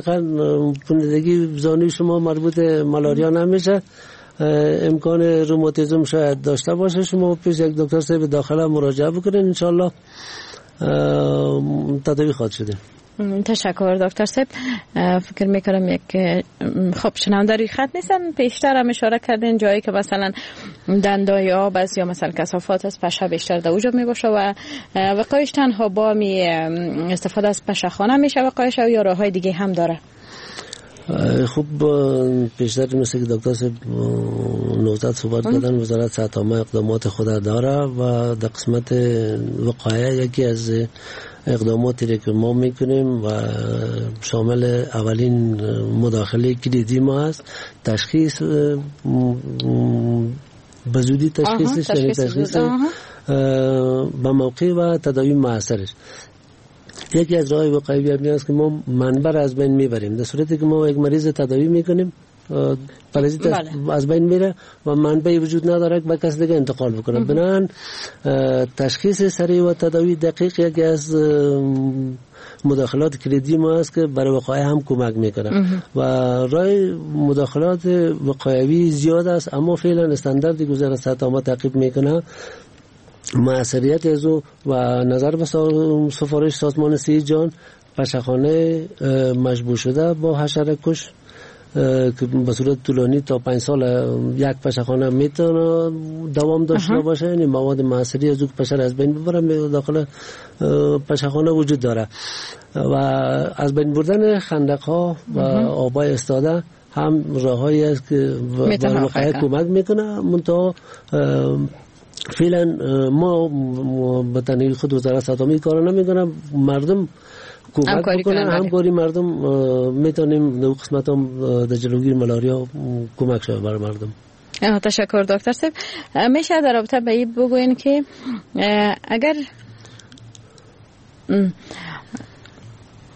پندگی زانوی شما مربوط مالاریا نمیشه، امکان روماتیزم شاید داشته باشه. شما پیش یک دکتر صاحب داخله مراجعه بکنین، انشالله تداوی خواهد شده. تشکر دکتر صاحب. فکر میکنم یک خب شنونده روی خط نیستن. پیشتر هم اشاره کردین جایی که مثلا دندای آب است یا مثلا کثافات است، پشه بیشتر در اوجا میباشه و وقایش تنها با می استفاده از پشه خانه میشه وقایش یا راه های دیگه هم داره؟ خب پیشتر مثل که دکتر صاحب نوزاد صحبت کردن، وزارت صحت عامه اقدامات خود داره و در قسمت وقایع یکی از اقداماتی که ما میکنیم و شامل اولین مداخله کلیدی ما هست تشخیص، به زودی تشخیصش، یعنی تشخیص به موقع و تداوی موثرش. یکی از راه وقایوی هم است که ما منبع از بین میبریم. در صورتی که ما یک مریض تداوی میکنیم پرازیت از بین میره و منبعی وجود نداره که به کس دیگه انتقال بکنه. بنابراین تشخیص سریع و تداوی دقیق یکی از مداخلات کلیدی ما است که برای وقایع هم کمک میکنه و راه مداخلات وقایعی زیاد است، اما فعلا استانداردی که وزارت صحت عامه تعقیب میکنه موثریت از او و نظر به سفارش سازمان صحی جهان پشهخانه مجبور شده با حشره کش که به صورت طولانی تا 5 سال یک پشهخانه میتونه دوام داشته باشه، یعنی مواد موثری از او پشه از بین ببره داخل پشهخانه وجود داره و از بین بردن خندق ها و آبای استاده هم راههایی است که به وقایع کمک میکنه. منتها فعلا ما به تنهایی خود وزارت صحت عامه کار نمیکنه، مردم کمک بکنن، همکاری مردم میتونیم در قسمت هم در جلوگیری ملاریا کمک شود برای مردم. تشکر دکتر صاحب. میشه در رابطه به این بگوین که اگر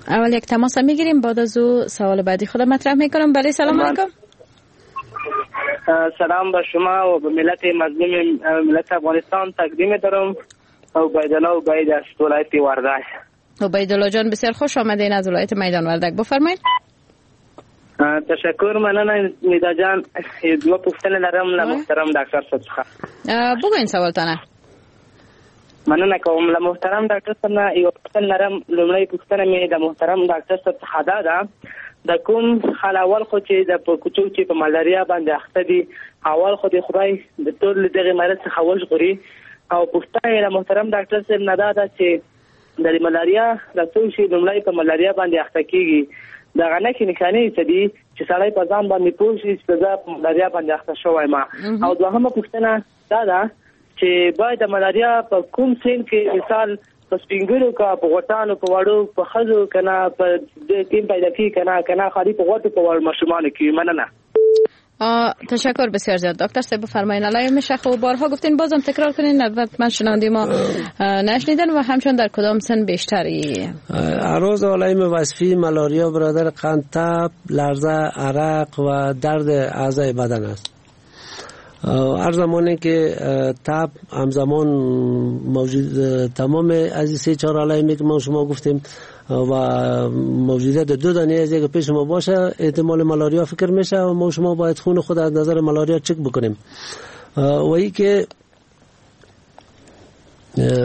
اول یک تماس میگیریم بعد از او سوال بعدی خود مطرح میکنم. بله سلام علیکم. سلام به شما و به ملت مظلوم ملت افغانستان تقدیم دارم. عبیدالله عبید از ولایت وردک. عبیدالله جان بسیار خوش آمدین از ولایت میدان وردک، بفرمایید. تشکر مننه میدا جان. دوه پوښتنې لرم له محترم ډاکټر صاحب څخه. بگوین سوالتانه. مننه کوم. له محترم ډاکټر صاحب نه یوه پوښتنه لرم. لومړۍ پوښتنه مې د محترم ډاکټر صاحب څخه دا ده، د کوم حال اول خو چې د په کوڅو چې په ملاریا باندې اخته دي، اول خو د خدای د ټول دغه مرض څخه وژغوري. او پوښتنه یې له محترم ډاکټر صاحب نه دا ده چې د ملاریا د څو شي لومړی په ملاریا باندې اخته کیږي، دغه نښې نښانې څه دي چې سړی په ځان باندې پوه شي چې زه په ملاریا باندې اخته شوی ما. او دوهمه پوښتنه دا ده چې باید د ملاریا په کوم سن کې، مثال په سپینګرو که په غوټانو، په وړو، په ښځو که نه په دې کې پیدا کیږي که نه، که نه خالي په غوټو په وړو ماشومانو کې؟ مننه. تشکر بسیار زیاد دکتر صاحب. بفرمایین. علایه میشه خب بارها گفتین بازم تکرار کنین، البته من شنونده ما نشنیدن و همچنین در کدام سن بیشتری؟ اعراض علائم وصفی ملاریا برادر قند، تب، لرزه، عرق و درد اعضای بدن است. هر زمانی که تب همزمان موجود تمام از 3-4 علائمی که ما شما گفتیم و موجودیت دو دانه از یک پیش ما باشه احتمال ملاریا فکر میشه و ما شما باید خون خود از نظر ملاریا چک بکنیم. و ای که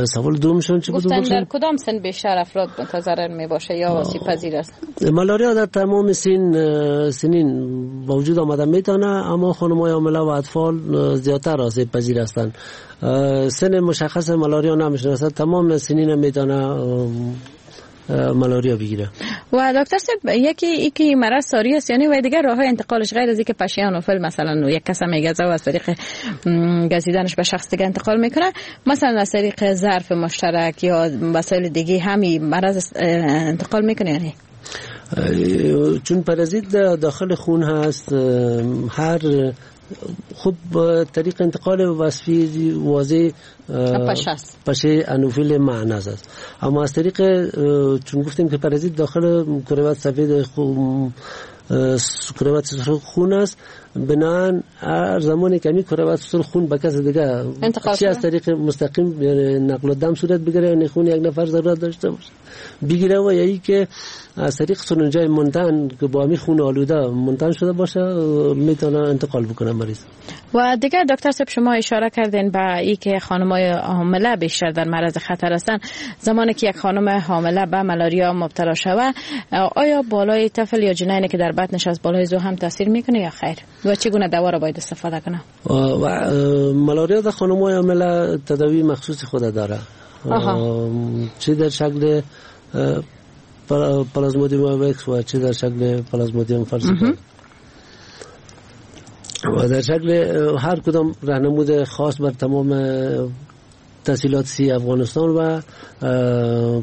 سوال دومشون چی بود؟ گفتن در کدام سن بیشتر افراد متضرر می باشه یا آسیب پذیر است؟ ملاریا در تمام سنین وجود آمده میتونه، اما خانم‌های حامله و اطفال زیادتر آسیب پذیر هستند. سن مشخص ملاریا نمیشناسد، تمام سنین میتونه ملاریا بگیره. و دکتر صاحب یکی مرض ساری است، یعنی و دیگر راه‌های انتقالش غیر از اینکه پشه آنوفل مثلا یک کس میگزه و از طریق گزیدنش به شخص دیگه انتقال میکنه، مثلا از طریق ظرف مشترک یا وسایل دیگه همین مرض انتقال میکنه؟ یعنی چون پرازیت داخل خون هست، هر خب طریق انتقال وصفی واضح پشه انوفیل معنیز است، اما از طریق چون گفتیم که پرازیت داخل کروات سفید کروات سرخ خون است، بنابراین هر زمانی که کروات سرخ خون به کس دیگه چه از طریق مستقیم یعنی نقل دم صورت بگیره، یعنی خون یک نفر ضرورت داشته باشه بگیره، و یا که از طریق سرنجای منتن که با همی خون آلوده منتن شده باشه میتونه انتقال بکنه مریض. و دیگر دکتر صاحب شما اشاره کردین به ای که خانم‌های حامله بیشتر در معرض خطر هستند. زمانی که یک خانم حامله به ملاریا مبتلا شود، آیا بالای طفل یا جنینی که در بطنش از بالای زو هم تاثیر میکنه یا خیر؟ و چگونه دوا را باید استفاده کنه؟ و ملاریا در خانم‌های حامله تداوی مخصوص خود داره، چه در شکل پلازمودیوم وایوکس و چه در شکل پلازمودیوم فالسیپارم و در شکل هر کدام راهنمود خاص بر تمام تحصیلات سی افغانستان و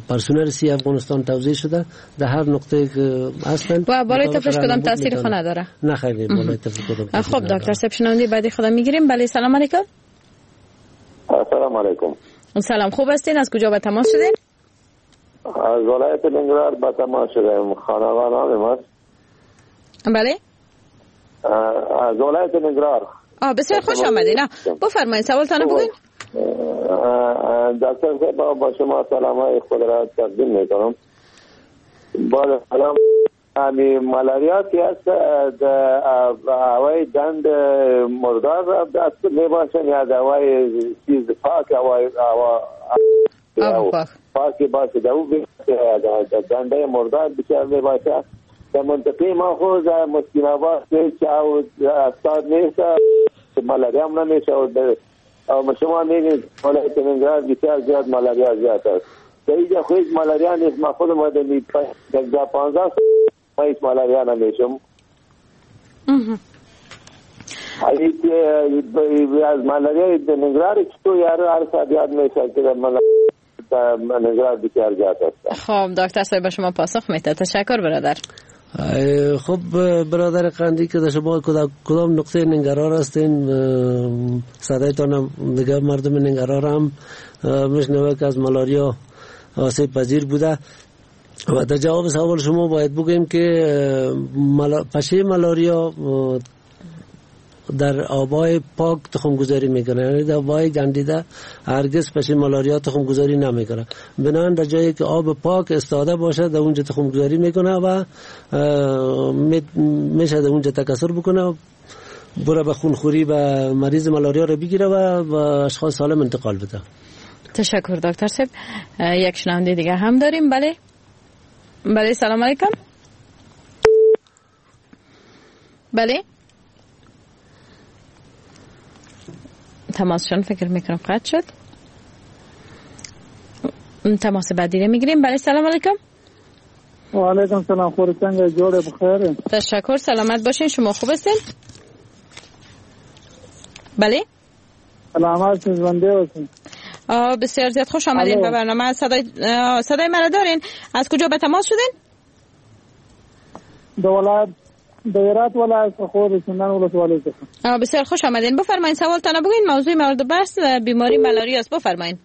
پرسنل سی افغانستان توزیع شده، در هر نقطه که هستند. و بالای طفلش کدام تاثیر خو نداره؟ نه خیر، بالای طفل کدام. خب دکتر صاحب شنونده بعدی خدا میگیریم. بله سلام علیکم. السلام علیکم. سلام، خوب هستین؟ از کجا به تماس شدین؟ از ولایت ننگرهار به تماس شدیم. خانواده ماست. بله؟ از ولایت ننگرهار. بسیار خوش آمدین. بفرمایید سوالتان رو بگوین. دکتر صاحب با شما سلام های خود را تقدیم میکنم. بعد سلام، همی مالاریا که است هوای دند مردار دست میباشن یا هوای چیز پاک، هوای پاک باشه دو دنده مردار بسیار میباشه. در منطقه ما خود مسکین آباد هیچ او استاد نیست، مالاریا هم نمیشه. و شما میگید ولایت ننگرهار بسیار زیاد مالاریا زیاد است. در اینجا خو هیچ مالاریا نیست. ما خود ما در 15 سال هیچ مالاریا نمیشم. از مالاریا در ننگرهار چطور یارو هر ساعت یاد میشه که ننگرهار بسیار زیاد است. خب دکتر صاحب به شما پاسخ میده. تشکر برادر. خب برادر قندی که شما کدام نقطه ننگرهار هستین، صدایتان دیگه مردم ننگرهار هم میشنوه که از مالاریا آسیب پذیر بوده. و در جواب سوال شما باید بگوییم که پشه مالاریا در آبای پاک تخم گذاری میکنه، یعنی در آبای گندیده هرگز پشه مالاریا تخم گذاری نمیکنه. بنابراین در جایی که آب پاک استاده باشه در اونجا تخم گذاری میکنه و میشه در اونجا تکثر بکنه، بره به خونخوری و مریض مالاریا رو بگیره و اشخاص سالم انتقال بده. تشکر دکتر صاحب. یک شنونده دیگه هم داریم. بله بله سلام علیکم. بله تماسشون فکر میکنم قطع شد. تماس بعدی رو میگیریم. بله سلام علیکم. و علیکم سلام. خور څنګه جوړه؟ بخیر. تشکر، سلامت باشین. شما خوب هستین؟ بله سلامت ژوندی اوسئ. بسیار زیاد خوش آمدین به برنامه. صدای مرا دارین؟ از کجا به تماس شدین؟ د ولایت د هرات ولایت خو سندان ولسوالۍ څخه. بسیار خوش آمدین. بفرمایید سوالتان بگوین. موضوع مورد بحث بیماری ملاریا است. بفرمایید.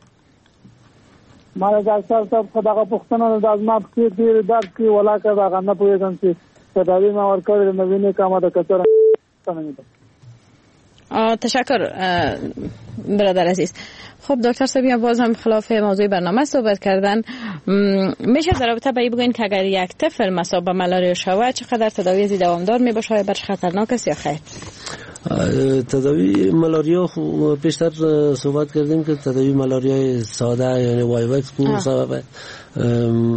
ما د ډاکټر صاحب خو دغه پوښتنه د زما پښې ډېر درد کوي، ولاکه دغه نه پوهېږم چې تداوي ما ورکړې نو وینې کمه ده که څه. تشکر برادر عزیز. خب دکتر صاحب باز هم خلاف موضوع برنامه صحبت کردن. میشه در رابطه با این بگوین که اگر یک طفل مصاب به ملاریا شود چقدر تداوی از دوامدار میباشه، آیا برش خطرناک است یا خیر؟ تداوی ملاریا پیشتر صحبت کردیم که تداوی ملاریا ساده یعنی وایوکس کو سبب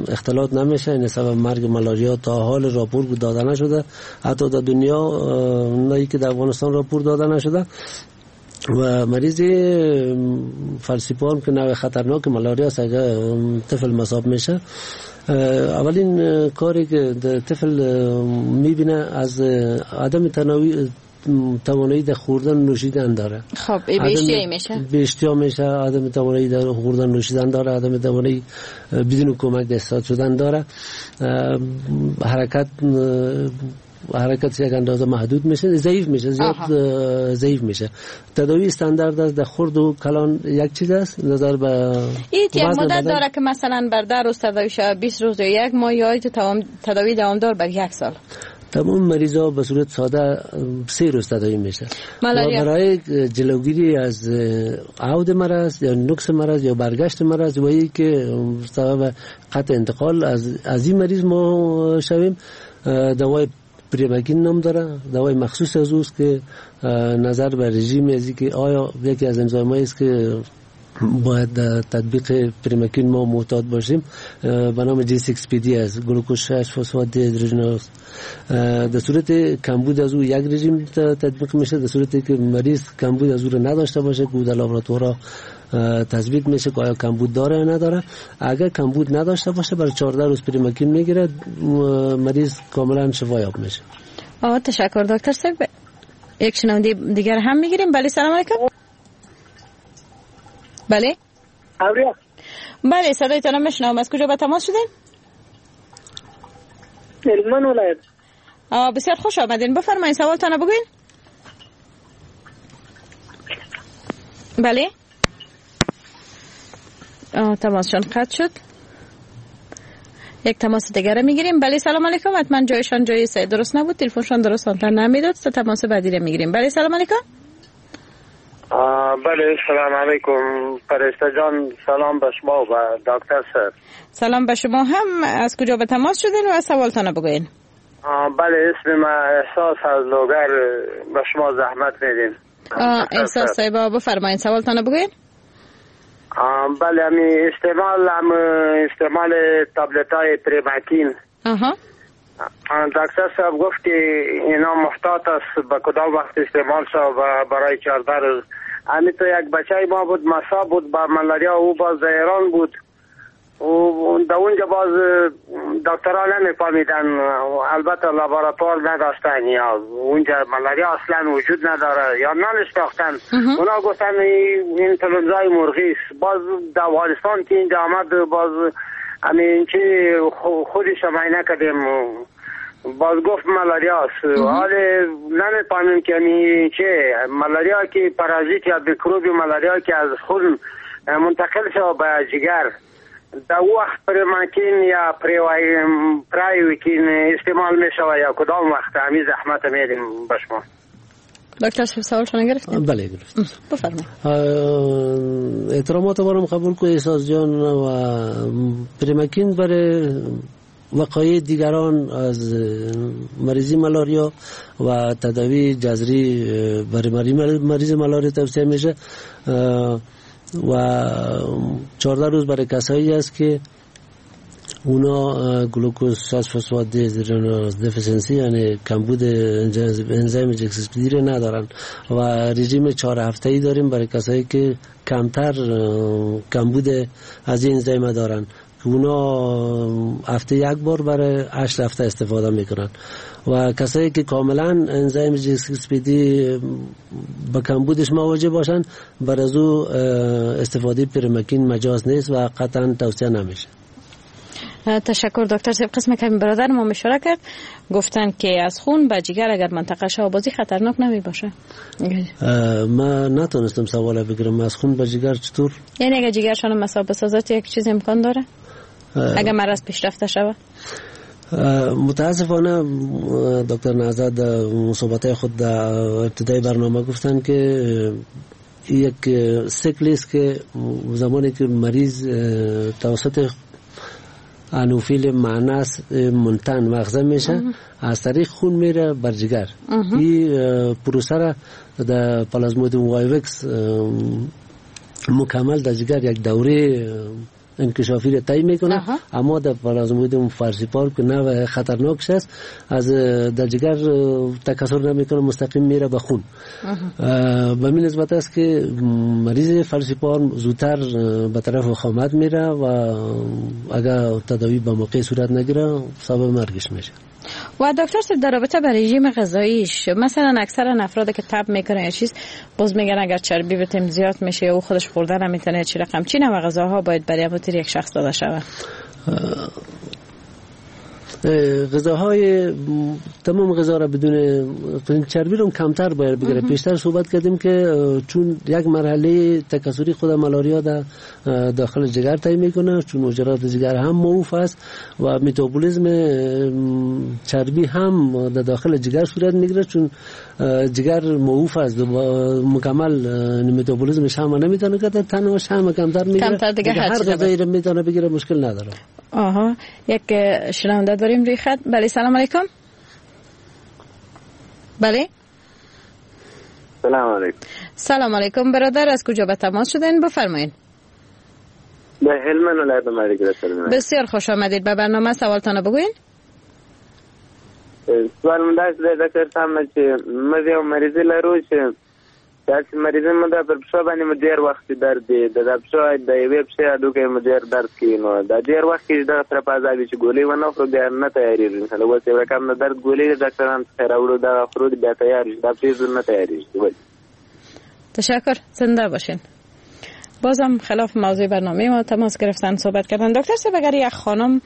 اختلاط نمیشه، یعنی سبب مرگ ملاریا تا حال راپور داده نشده، حتی در دنیا نه که در افغانستان راپور داده نشده. و مریض فلسیپان که نوع خطرناک ملاریا است اگر طفل مصاب میشه، اولین کاری که طفل میبینه از عدم توانایی در خوردن نوشیدن داره. خب به اشتیا میشه، به اشتیا میشه، عدم توانایی در خوردن نوشیدن داره، عدم توانایی بدون کمک دست شدن داره، حرکت یک اندازه محدود میشه، ضعیف میشه، زیاد ضعیف میشه. تداوی استاندارد است، در خرد و کلان یک چیز است. نظر به این یک مدت داره که مثلا بر 10 روز تداوی شه، 20 روز یا یک ماه، یا تداوی دوامدار بر یک سال. تمام مریضا به صورت ساده 3 روز تداوی میشه. برای جلوگیری از عود مرض یا نقص مرض یا برگشت مرض و ای که سبب قطع انتقال از این مریض ما شویم، دوای پریماکین نام داره، دوای مخصوص از اوست که نظر به رژیم از که آیا یکی از انزایم‌هایی است که باید در تطبیق پریماکین ما معتاد باشیم، به نام G6PD است، گلوکوز 6 فسفات دیهیدروژناز. در صورت کمبود از او یک رژیم تطبیق میشه، در صورتی که مریض کمبود از او رو نداشته باشه که در لابراتوارها تثبیت میشه که آیا کمبود داره یا نداره. اگر کمبود نداشته باشه برای 14 روز پریماکین میگیره، مریض کاملا شفا یاب میشه. تشکر دکتر صاحب. یک شنونده دیگر هم میگیریم. بله سلام علیکم. بله اوریا. بله صدایتان میشنوم. از کجا به تماس شدین؟ هلمند ولایت. بسیار خوش آمدین، بفرمایید سوالتان بگوین. بله تماسشان قطع شد. یک تماس دیگر میگیریم. بله سلام علیکم. حتما جایشان جای درست نبود، تلفنشان درست آنتن نمیداد. تماس بعدی رو میگیریم. بله سلام علیکم. بله سلام علیکم فرشته جان، سلام به شما و دکتر صاحب. سلام به شما هم. از کجا به تماس شدین و سوالتان بگوین؟ بله اسم من احساس از لوگر، به شما زحمت میدیم. احساس صاحب بفرمایید سوالتان بگوین. بله امی استعمال تابلت های پریماکین. دکتر صاحب گفت که اینا محتاط است به کدام وقت استعمال شد و برای 14 روز. امی تو یک بچه ما بود مصاب بود با ملاریا، او باز در ایران بود و در اونجا باز دکترها نمیفهمیدن، البته لابراتوار نداشتن یا اونجا ملاریا اصلا وجود نداره یا ننشناختن. اونا گفتن این انفلونزای مرغی است. باز در افغانستان که اینجا آمد باز همین چی خودش معاینه کردیم، باز گفت ملاریا است. حال نمیفهمیم که همین چه ملاریا که پرازیت یا میکروب ملاریا که از خون منتقل شد به جگر، در وقت پریماکین یا پرایوکین استعمال می شود یا کدام وقت؟ همین زحمت میدیم به شما. دکتر صاحب سوالشون گرفتیم؟ بله گرفتیم. بفرمایید. احترامات برام قبول کو احساس جان. و پریماکین برای وقایع دیگران از مریضی ملاریا و تداوی جذری برای مریض ملاریا توصیه میشه و 14 روز برای کسایی است که اونا گلوکوز 6 فسفات deficiency یعنی کمبود انزیم G6PD ندارن و رژیم 4 هفته‌ای داریم برای کسایی که کمتر کمبود از این انزیم دارن که اونا هفته یک بار برای 8 هفته استفاده میکنن و کسایی که کاملا انزیم G6PD به کمبودش مواجه باشن بر از او استفاده پریماکین مجاز نیست و قطعا توصیه نمیشه. تشکر دکتر صاحب. قسم که برادر ما اشاره کرد گفتن که از خون به جگر اگر منطقه شو بازی خطرناک نمی باشه. ما نتونستم سوال بگیرم از خون به جگر چطور؟ یعنی اگر جگرشان مصاب بسازد یک چیز امکان داره؟ اگر مرض پیشرفته شود؟ متاسفانه دکتر نهضت صحبت خود در ابتدای برنامه گفتن که یک سیکل است که زمانی که مریض توسط انوفیل معناس منتن مغزه میشه از طریق خون میره بر جگر. این پروسه را در پلازمودیوم وایوکس مکمل در جگر یک دوره انکشافی را طی میکنه، اما در پلازمودیوم فالسیپارم که نوع خطرناکش است از در جگر تکثر نمیکنه، مستقیم میره به خون. به این نسبت است که مریض فالسیپارم زودتر به طرف وخامت میره و اگر تداوی به موقع صورت نگیره سبب مرگش میشه. و دکتر صاحب در رابطه با رژیم غذاییش، مثلا اکثر افراد که تب میکنن یا چیز باز میگن اگر چربی بتیم زیاد میشه یا او خودش خوردن نمیتونه، چی رقم چی نوع غذاها باید برای یک شخص داده شود؟ غذاهای تمام غذا را بدون چربی رو کمتر باید بگیره. پیشتر صحبت کردیم که چون یک مرحله تکثری خود ملاریا در داخل جگر طی میکنه، چون حجرات جگر هم موف است و متابولیسم چربی هم در داخل جگر صورت میگیره، چون جگر موف است مکمل متابولیسمش هم نمیتونه که تنهاش هم کمتر میگیره، هر غذایی رو میتونه بگیره مشکل نداره. آها، یک شنونده داریم روی خط. بله سلام علیکم. بله سلام علیکم. سلام علیکم برادر، از کجا به تماس شدین؟ بفرمایید. به هلمند ولایت مریض. بسیار خوش آمدید به برنامه. سوالتان بگوین. سوال مې دا دی ډاکټر صاحب چې موږ یو مریضي لرو چې داسې مریضي مو ده پر پښو باندې مو ډېر وخت درد دی، د پښو د یوې پښې هډوکی مو ډېر درد کوي، نو دا ډېر وخت کېږي دغه سره په عذاب چې ګولۍ ونه خورو بیا نه تیارېږي. مثلا اوس یو رقم د درد ګولۍ د ډاکټران څخه راوړو دغه خورو بیا تیار شي، دا پښې نه تیارېږي. تشکر، زنده باشین. بازم خلاف موضوع برنامه ما تماس گرفتن صحبت کردن. دکتر صاحب، اگر یک خانم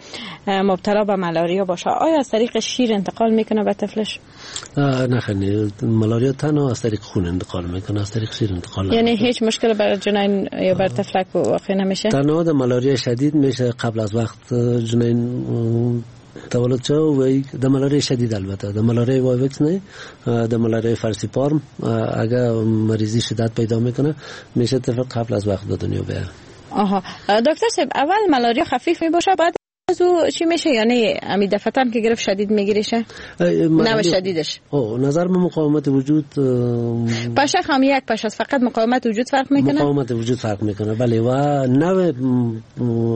مبتلا به ملاریا باشه، آیا از طریق شیر انتقال میکنه به طفلش؟ نه خیر، ملاریا تنها از طریق خون انتقال میکنه، از طریق شیر انتقال یعنی هیچ مشکل بر جنین یا بر طفلک واقع نمیشه؟ تنها در ملاریا شدید میشه قبل از وقت جنین تولد شو و د ملاریا شدید، البته د ملاریا وایوکس نه، د ملاریا فارسیپارم اگر مریضی شدت پیدا میکنه میشه طفل قبل از وقت به دنیا بیاد. آها دکتر صاحب، اول ملاریا خفیف میباشه، بعد از او چی میشه؟ یعنی امی دفعه که گرفت شدید میگیریشه؟ نه شدیدش. او نظر به مقاومت وجود پشه هم یک پشه است، فقط مقاومت وجود فرق میکنه؟ مقاومت وجود فرق میکنه بله، و نوع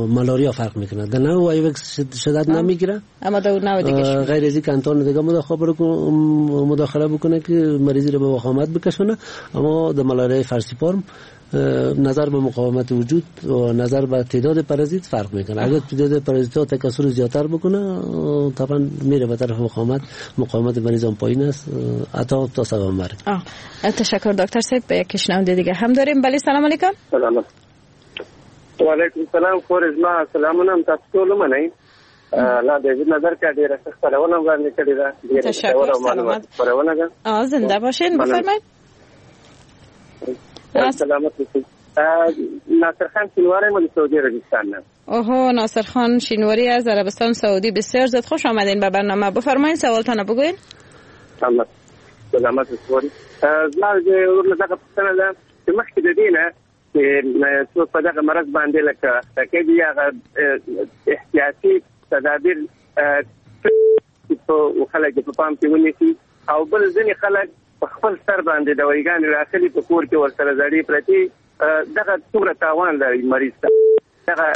ملاریا فرق میکنه. در نوع وایوکس شدت نمیگیره، اما در نوع دیگه غیر از اینکه انتان دیگه مداخله بکنه که مریضی رو به وخامت بکشونه. اما در ملاریا فارسیپارم نظر به مقاومت وجود و نظر به تعداد پرازیت فرق میکنه. اگر تعداد پرازیت ها تکثر زیادتر بکنه طبعا میره به طرف مقاومت مریض هم پایین است، حتی تا سبب مرگ. تشکر دکتر صاحب. یک شنونده دیگه هم داریم. بله سلام علیکم. سلام و علیکم سلام. خور زما سلامونه تاسو ټول منئ. لا د نظر کې ډیره ښه خپرونه وړاندې کړې ده. تشکر، سلامت خپرونه ده. زنده باشین. بفرمایید. سلامت اوسئ. ناصر خان شینواری یم د سعودي عربستان نه. اوه ناصر خان شینواری از عربستان سعودی، بسیار زیاد خوش آمدین به برنامه. بفرمایید سوالتان بگوین. سلامت سلامت اوسئ. زما د ورور له دغه پوښتنه ده چې مخکې د دې نه چې څوک په دغه مرض باندې لکه اخته کېږي، هغه احتیاطي تدابیر په خلک په پام کې ونیسي، او بل ځینې خلک په خپل سر باندې دوايګانې راخلي په کور کې ورسره زړې پرتې، دغه څومره تاوان لري مریض ته، دغه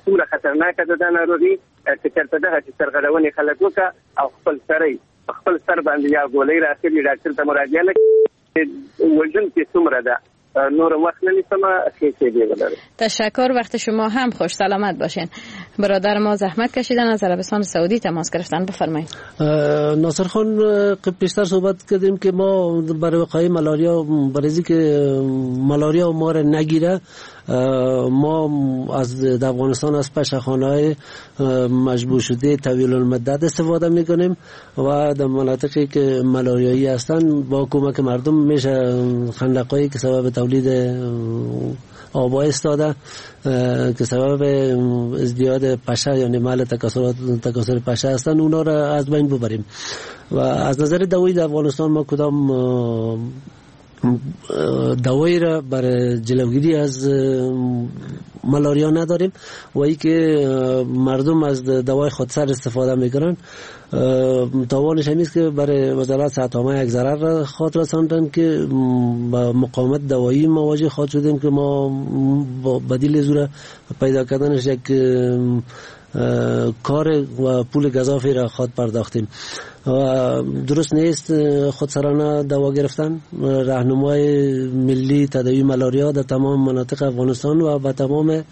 څومره خطرناکه ده دا ناروغي چې چېرته دغه چې سرغړونې خلک وکړه او خپل سرې په خپل سر باندې یا ګولۍ راخلي ډاکټر ته مراجعه نه کوي، وژونکې څومره ده؟ نور وقت نمیسم. تشکر، وقت شما هم خوش، سلامت باشین. برادر ما زحمت کشیدن از عربستان سعودی تماس گرفتن. بفرمایید. ناصر خان، پیشتر صحبت کردیم که ما برای وقایع ملاریا، برای که ملاریا ما را نگیره، ما از افغانستان از پشه‌خانه‌های مجبور شده طویل المدت استفاده میکنیم و در مناطقی که ملاریایی هستند با کمک مردم میشه خندق‌هایی که سبب تولید آب‌ها استاده که سبب ازدیاد پشه یعنی محل تکاثر پشه هستند اونا را از بین ببریم. و از نظر دوایی در افغانستان ما کدام دوایی را برای جلوگیری از ملاریا نداریم و ای که مردم از دوای خودسر استفاده میکنن تاوانش همیست که برای وزارت صحت عامه یک ضرر را خود رساندن که با مقاومت دوایی مواجه خواهد شدیم که ما با بدیل زور پیدا کردنش یک کار و پول گزافی را خود پرداختیم. و درست نیست خودسرانه دوا گرفتن. راهنمای ملی تداوی ملاریا در تمام مناطق افغانستان و به تمام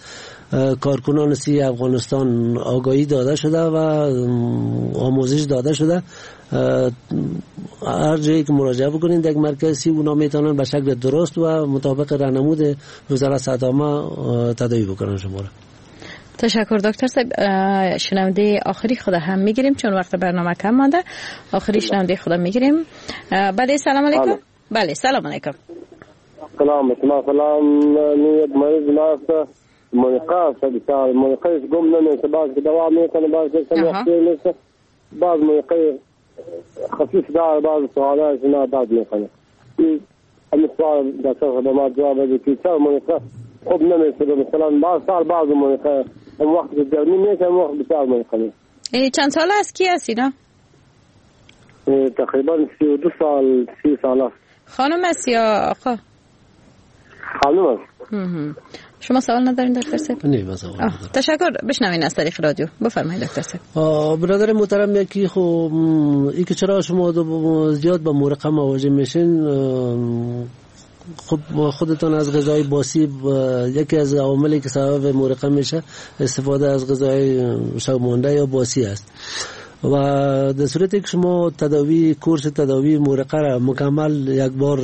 کارکنان سی افغانستان آگاهی داده شده و آموزش داده شده. هر جایی که مراجعه بکنید یک مرکز سی اونا میتونن به شکل درست و مطابق راهنمود وزارت صحت عامه تداوی بکنن شما را. تشکر دکتر صاحب. شنونده آخری خدا هم میگیریم چون وقت برنامه کم مانده. آخری شنونده خدا میگیریم. بله سلام علیکم. بله سلام علیکم. سلام سلام. یک مریض ماست منقاص بتاع منقاص قمنا من بعض دواء میکنه بعض وقت بعض منقاص خفيف دار بعض سؤالات ما بعض میکنه. این سوال دکتر ما جواب بده که چرا منقاص خوب نمیشه مثلا بعض سال بعض منقاص اون وقت گرمی نیست اون وقت بسیار منقاص. چند سال است کی هستی نه؟ تقریبا 32 سال 30 سال. خانم است یا آقا؟ خانم است. شما سوال ندارین دکتر صاحب؟ نه من سوال ندارم. تشکر. بشنوین از طریق رادیو. بفرمایید دکتر صاحب. برادر محترم، یکی خو ای که چرا شما زیاد با مورقه مواجه میشین، خب خودتان از غذای باسی، یکی از عواملی که سبب مورقه میشه استفاده از غذای شب مانده یا باسی است و در صورتی که شما تداوی کورس تداوی مورقه را مکمل یک بار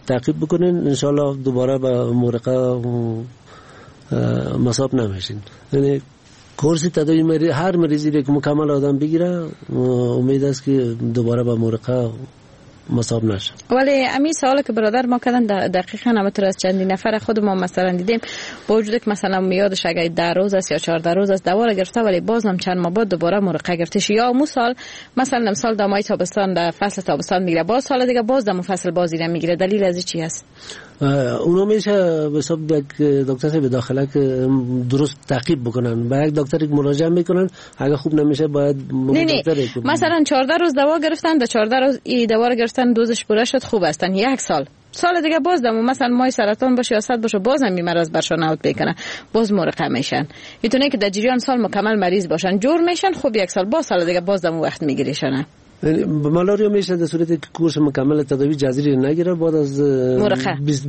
تعقیب بکنین، انشالله دوباره به مورقه مصاب نمیشین. یعنی کورس تداوی هر مریضی که مکمل آدم بگیره امید است که دوباره به مورقه مصاب نشه. ولی امی سوالی که برادر ما کردن دقیقاً همطور از چندی نفر خود ما مثلا دیدیم، با وجود که مثلا یادش اگه 10 روز است یا 14 روز است دوا را گرفته، ولی بازم چند ماه بعد دوباره مرقه گرفتش، یا مو سال مثلا امسال دمای تابستان در فصل تابستان میگیره، باز سال دیگه باز دم فصل بازی را میگیره. دلیل از چی هست؟ اونا میشه به حساب یک دکتر به داخله که درست تعقیب بکنن، با یک دکتر مراجعه میکنن، اگه خوب نمیشه باید دکتر مثلا 14 روز دوا گرفتن، در 14 روز این دوا را گرفتن، دوزش پوره شد، خوب هستن، یک سال سال دیگه باز دم مثلا مای سرطان باشه یا صد باشه، بازم این مرض برشان اوت بکنه، باز مرقه میشن. میتونه که در جریان سال مکمل مریض باشن، جور میشن، خوب یک سال باز سال دیگه باز دم وقت میگیریشن. مالاریا میشه در صورتی که کورس مکمل تداوی جذری نگیره، بعد از 20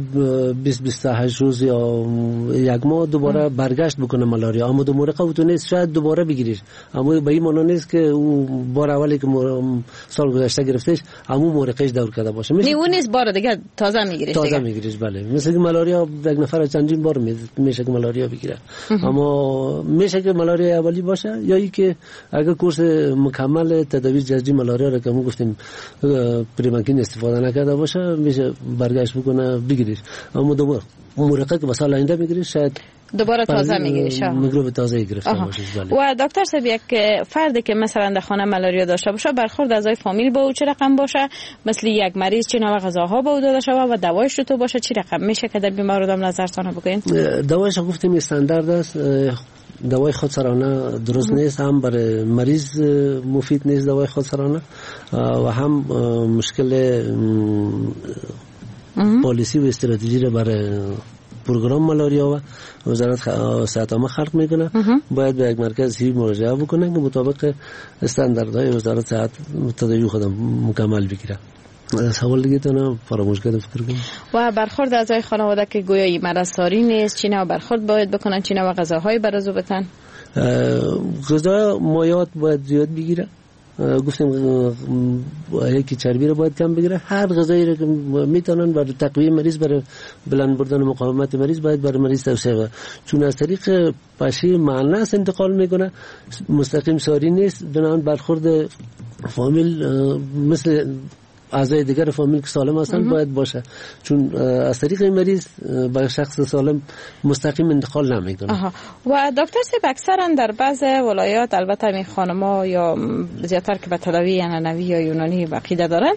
28 روز یا یک ماه دوباره برگشت بکنه مالاریا. اما دو مرقه تو نیست، شاید دوباره بگیریش، اما به این معنی نیست که او بار اولی که سال گذشته گرفتش همون مرقهش دور کرده باشه. نه اون نیست، بار دیگه تازه میگیریش. تازه میگیریش بله. مثل که مالاریا یک نفر چندین بار میشه که مالاریا بگیره، اما میشه که مالاریا اولی باشه یا ای که اگر کورس مکمل تداوی جذری مالاریا که ما گفتیم پریمانکین استفاده نکرده باشه، میشه برگشت بکنه بگیریش. اما دوباره مرقه که سال آینده میگیریش شاید دوباره تازه میگیریش، میکروب تازه گرفته باشه. و دکتر صاحب یک فردی که مثلا در خانه مالاریا داشته باشه، برخورد اعضای فامیل با او چه رقم باشه؟ مثل یک مریض چه نوع غذاها با او داده شود و دوایش تو باشه چه رقم میشه که در بیمار آدم نظرتان بکنین؟ دوایش گفتیم استاندارد است، دوای خودسرانه درست نیست، هم برای مریض مفید نیست دوای خودسرانه و هم مشکل پالیسی و استراتژی را برای پروگرام مالاریا و وزارت صحت عامه خلق میکنه. باید به یک مرکز هی مراجعه بکنه که مطابق استانداردهای وزارت صحت تداوی خود مکمل بگیره. سوال دیگه تانه فراموش کردم فکر کنم. و برخورد اعضای خانواده که گویا مرض ساری نیست، چی نوع برخورد باید بکنن، چی نوع غذاهای برازو بتن؟ غذا مایعات باید زیاد بگیره، گفتیم یکی چربی رو باید کم بگیره. هر غذایی رو که میتونن برای تقویه مریض، برای بلند بردن مقاومت مریض باید برای مریض توصیه کنه، چون از طریق پشه معنس انتقال میکنه، مستقیم ساری نیست. بنابراین برخورد فامیل مثل اعضای دیگر فامیل که سالم هستند باید باشه، چون از طریق این مریض به شخص سالم مستقیم انتقال نمیکنه. و دکتر صاحب اکثرا در بعض ولایات، البته این خانم‌ها یا زیادتر که به تداوی عنعنوی یا یونانی عقیده دارن،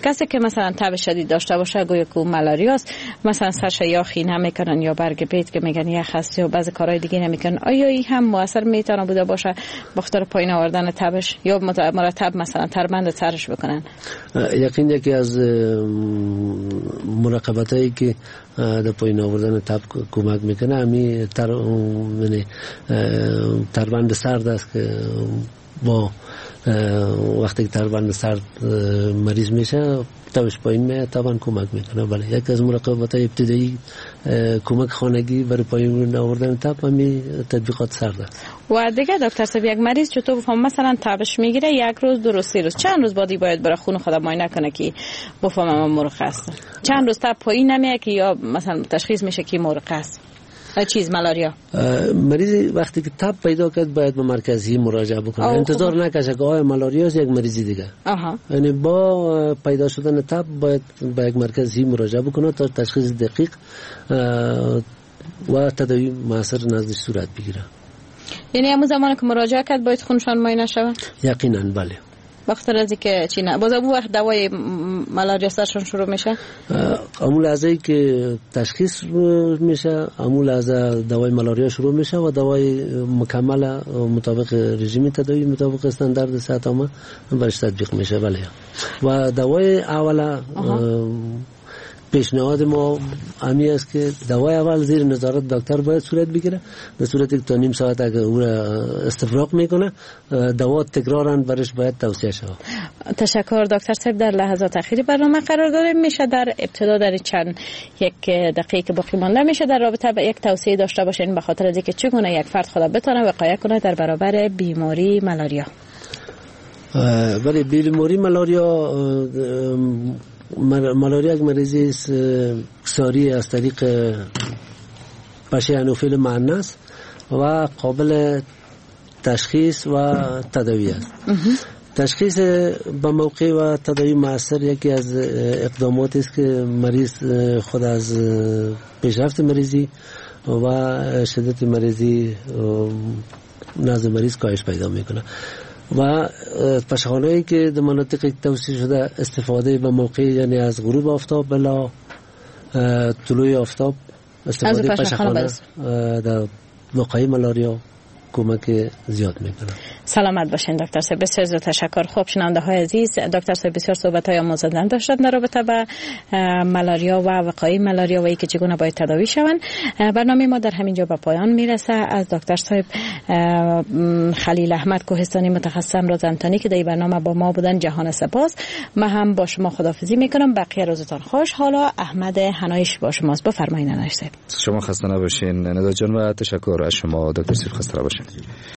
کسی که مثلا تب شدید داشته باشه گویا که مالاریاست، مثلا سرش یا خینه میکنن یا برگ بیت که میگن یخ هست یا بعض کارهای دیگه نمیکنن، آیا این هم موثر میتونه بوده باشه بخاطر پایین آوردن تبش یا مرتب مثلا تربند سرش بکنن؟ یقین یکی از مراقبت هایی که در پایین آوردن تب کمک میکنه همی تربند سرد است که با وقتی که تربند سرد مریض میشه تبش پایین میاد، طبعا کمک میکنه. بله، یکی از مراقبت های ابتدایی کمک خانگی برای پایین آوردن تب همی تطبیقات سرد است. و دیگه دکتر صاحب یک مریض چطور بفهم مثلا تبش میگیره یک روز، دو روز، سه روز، چند روز بعدی باید برای خون خود معاینه کنه که بفهمم مرخ است؟ چند روز تب پایین نمیاد که یا مثلا تشخیص میشه که مرخ است چیز مالاریا؟ مریض وقتی که تب پیدا کرد باید به مرکزی مراجعه بکنه، انتظار نکشه که آیا مالاریا است یک مریضی دیگه. یعنی با پیدا شدن تب باید به یک مرکزی مراجعه بکنه تا تشخیص دقیق و تداوی موثر نزدش صورت بگیره. یعنی همون زمان که مراجعه کرد باید خونشان معاینه شود؟ یقینا بله. وقتی از که چی نه باز اون وقت دوای مالاریا سرشون شروع میشه؟ امون لحظه که تشخیص میشه امون لحظه دوای مالاریا شروع میشه و دوای مکمل مطابق رژیم تداوی مطابق استاندارد صحت عامه برش تطبیق میشه. بله. و دوای اول پیشنهاد ما همی است که دوای اول زیر نظارت دکتر باید صورت بگیره، به صورت که تا نیم ساعت اگر او را استفراغ میکنه دوا تکرارا برش باید توصیه شود. تشکر دکتر صاحب. در لحظات اخیری برنامه قرار داریم، میشه در ابتدا در چند یک دقیقه که باقی مانده میشه در رابطه با یک توصیه داشته باشین به خاطر از اینکه چگونه یک فرد خود بتونه وقایه کنه در برابر بیماری مالاریا؟ بله، بیماری مالاریا ملاریا یک مریضی ساری از طریق پشه انوفیل مؤنث و قابل تشخیص و تداوی است. تشخیص به موقع و تداوی مؤثر یکی از اقدامات است که مریض خود از پیشرفت مریضی و شدت مریضی نزد مریض کاهش پیدا میکنه و پشخانه‌ای که در مناطق توصیه شده استفاده به موقع، یعنی از غروب آفتاب بلا طلوع آفتاب استفاده پشخانه در وقایع ملاریا کمک زیاد میکنه. سلامت باشین دکتر صاحب، بسیار زیاد تشکر. خب شنونده های عزیز، دکتر صاحب بسیار صحبت های آموزنده داشتن در رابطه با ملاریا و وقایع ملاریا و اینکه چگونه باید تداوی شوند. برنامه ما در همین جا به پایان میرسه. از دکتر صاحب خلیل احمد کوهستانی متخصص امراض انتانی که در این برنامه با ما بودن جهان سپاس. من هم با شما خداحافظی میکنم. بقیه روزتان خوش. حالا احمد حنایش با شماست. بفرمایید. شما خسته نباشین ندا جان و تشکر از شما دکتر صاحب، خسته نباشین.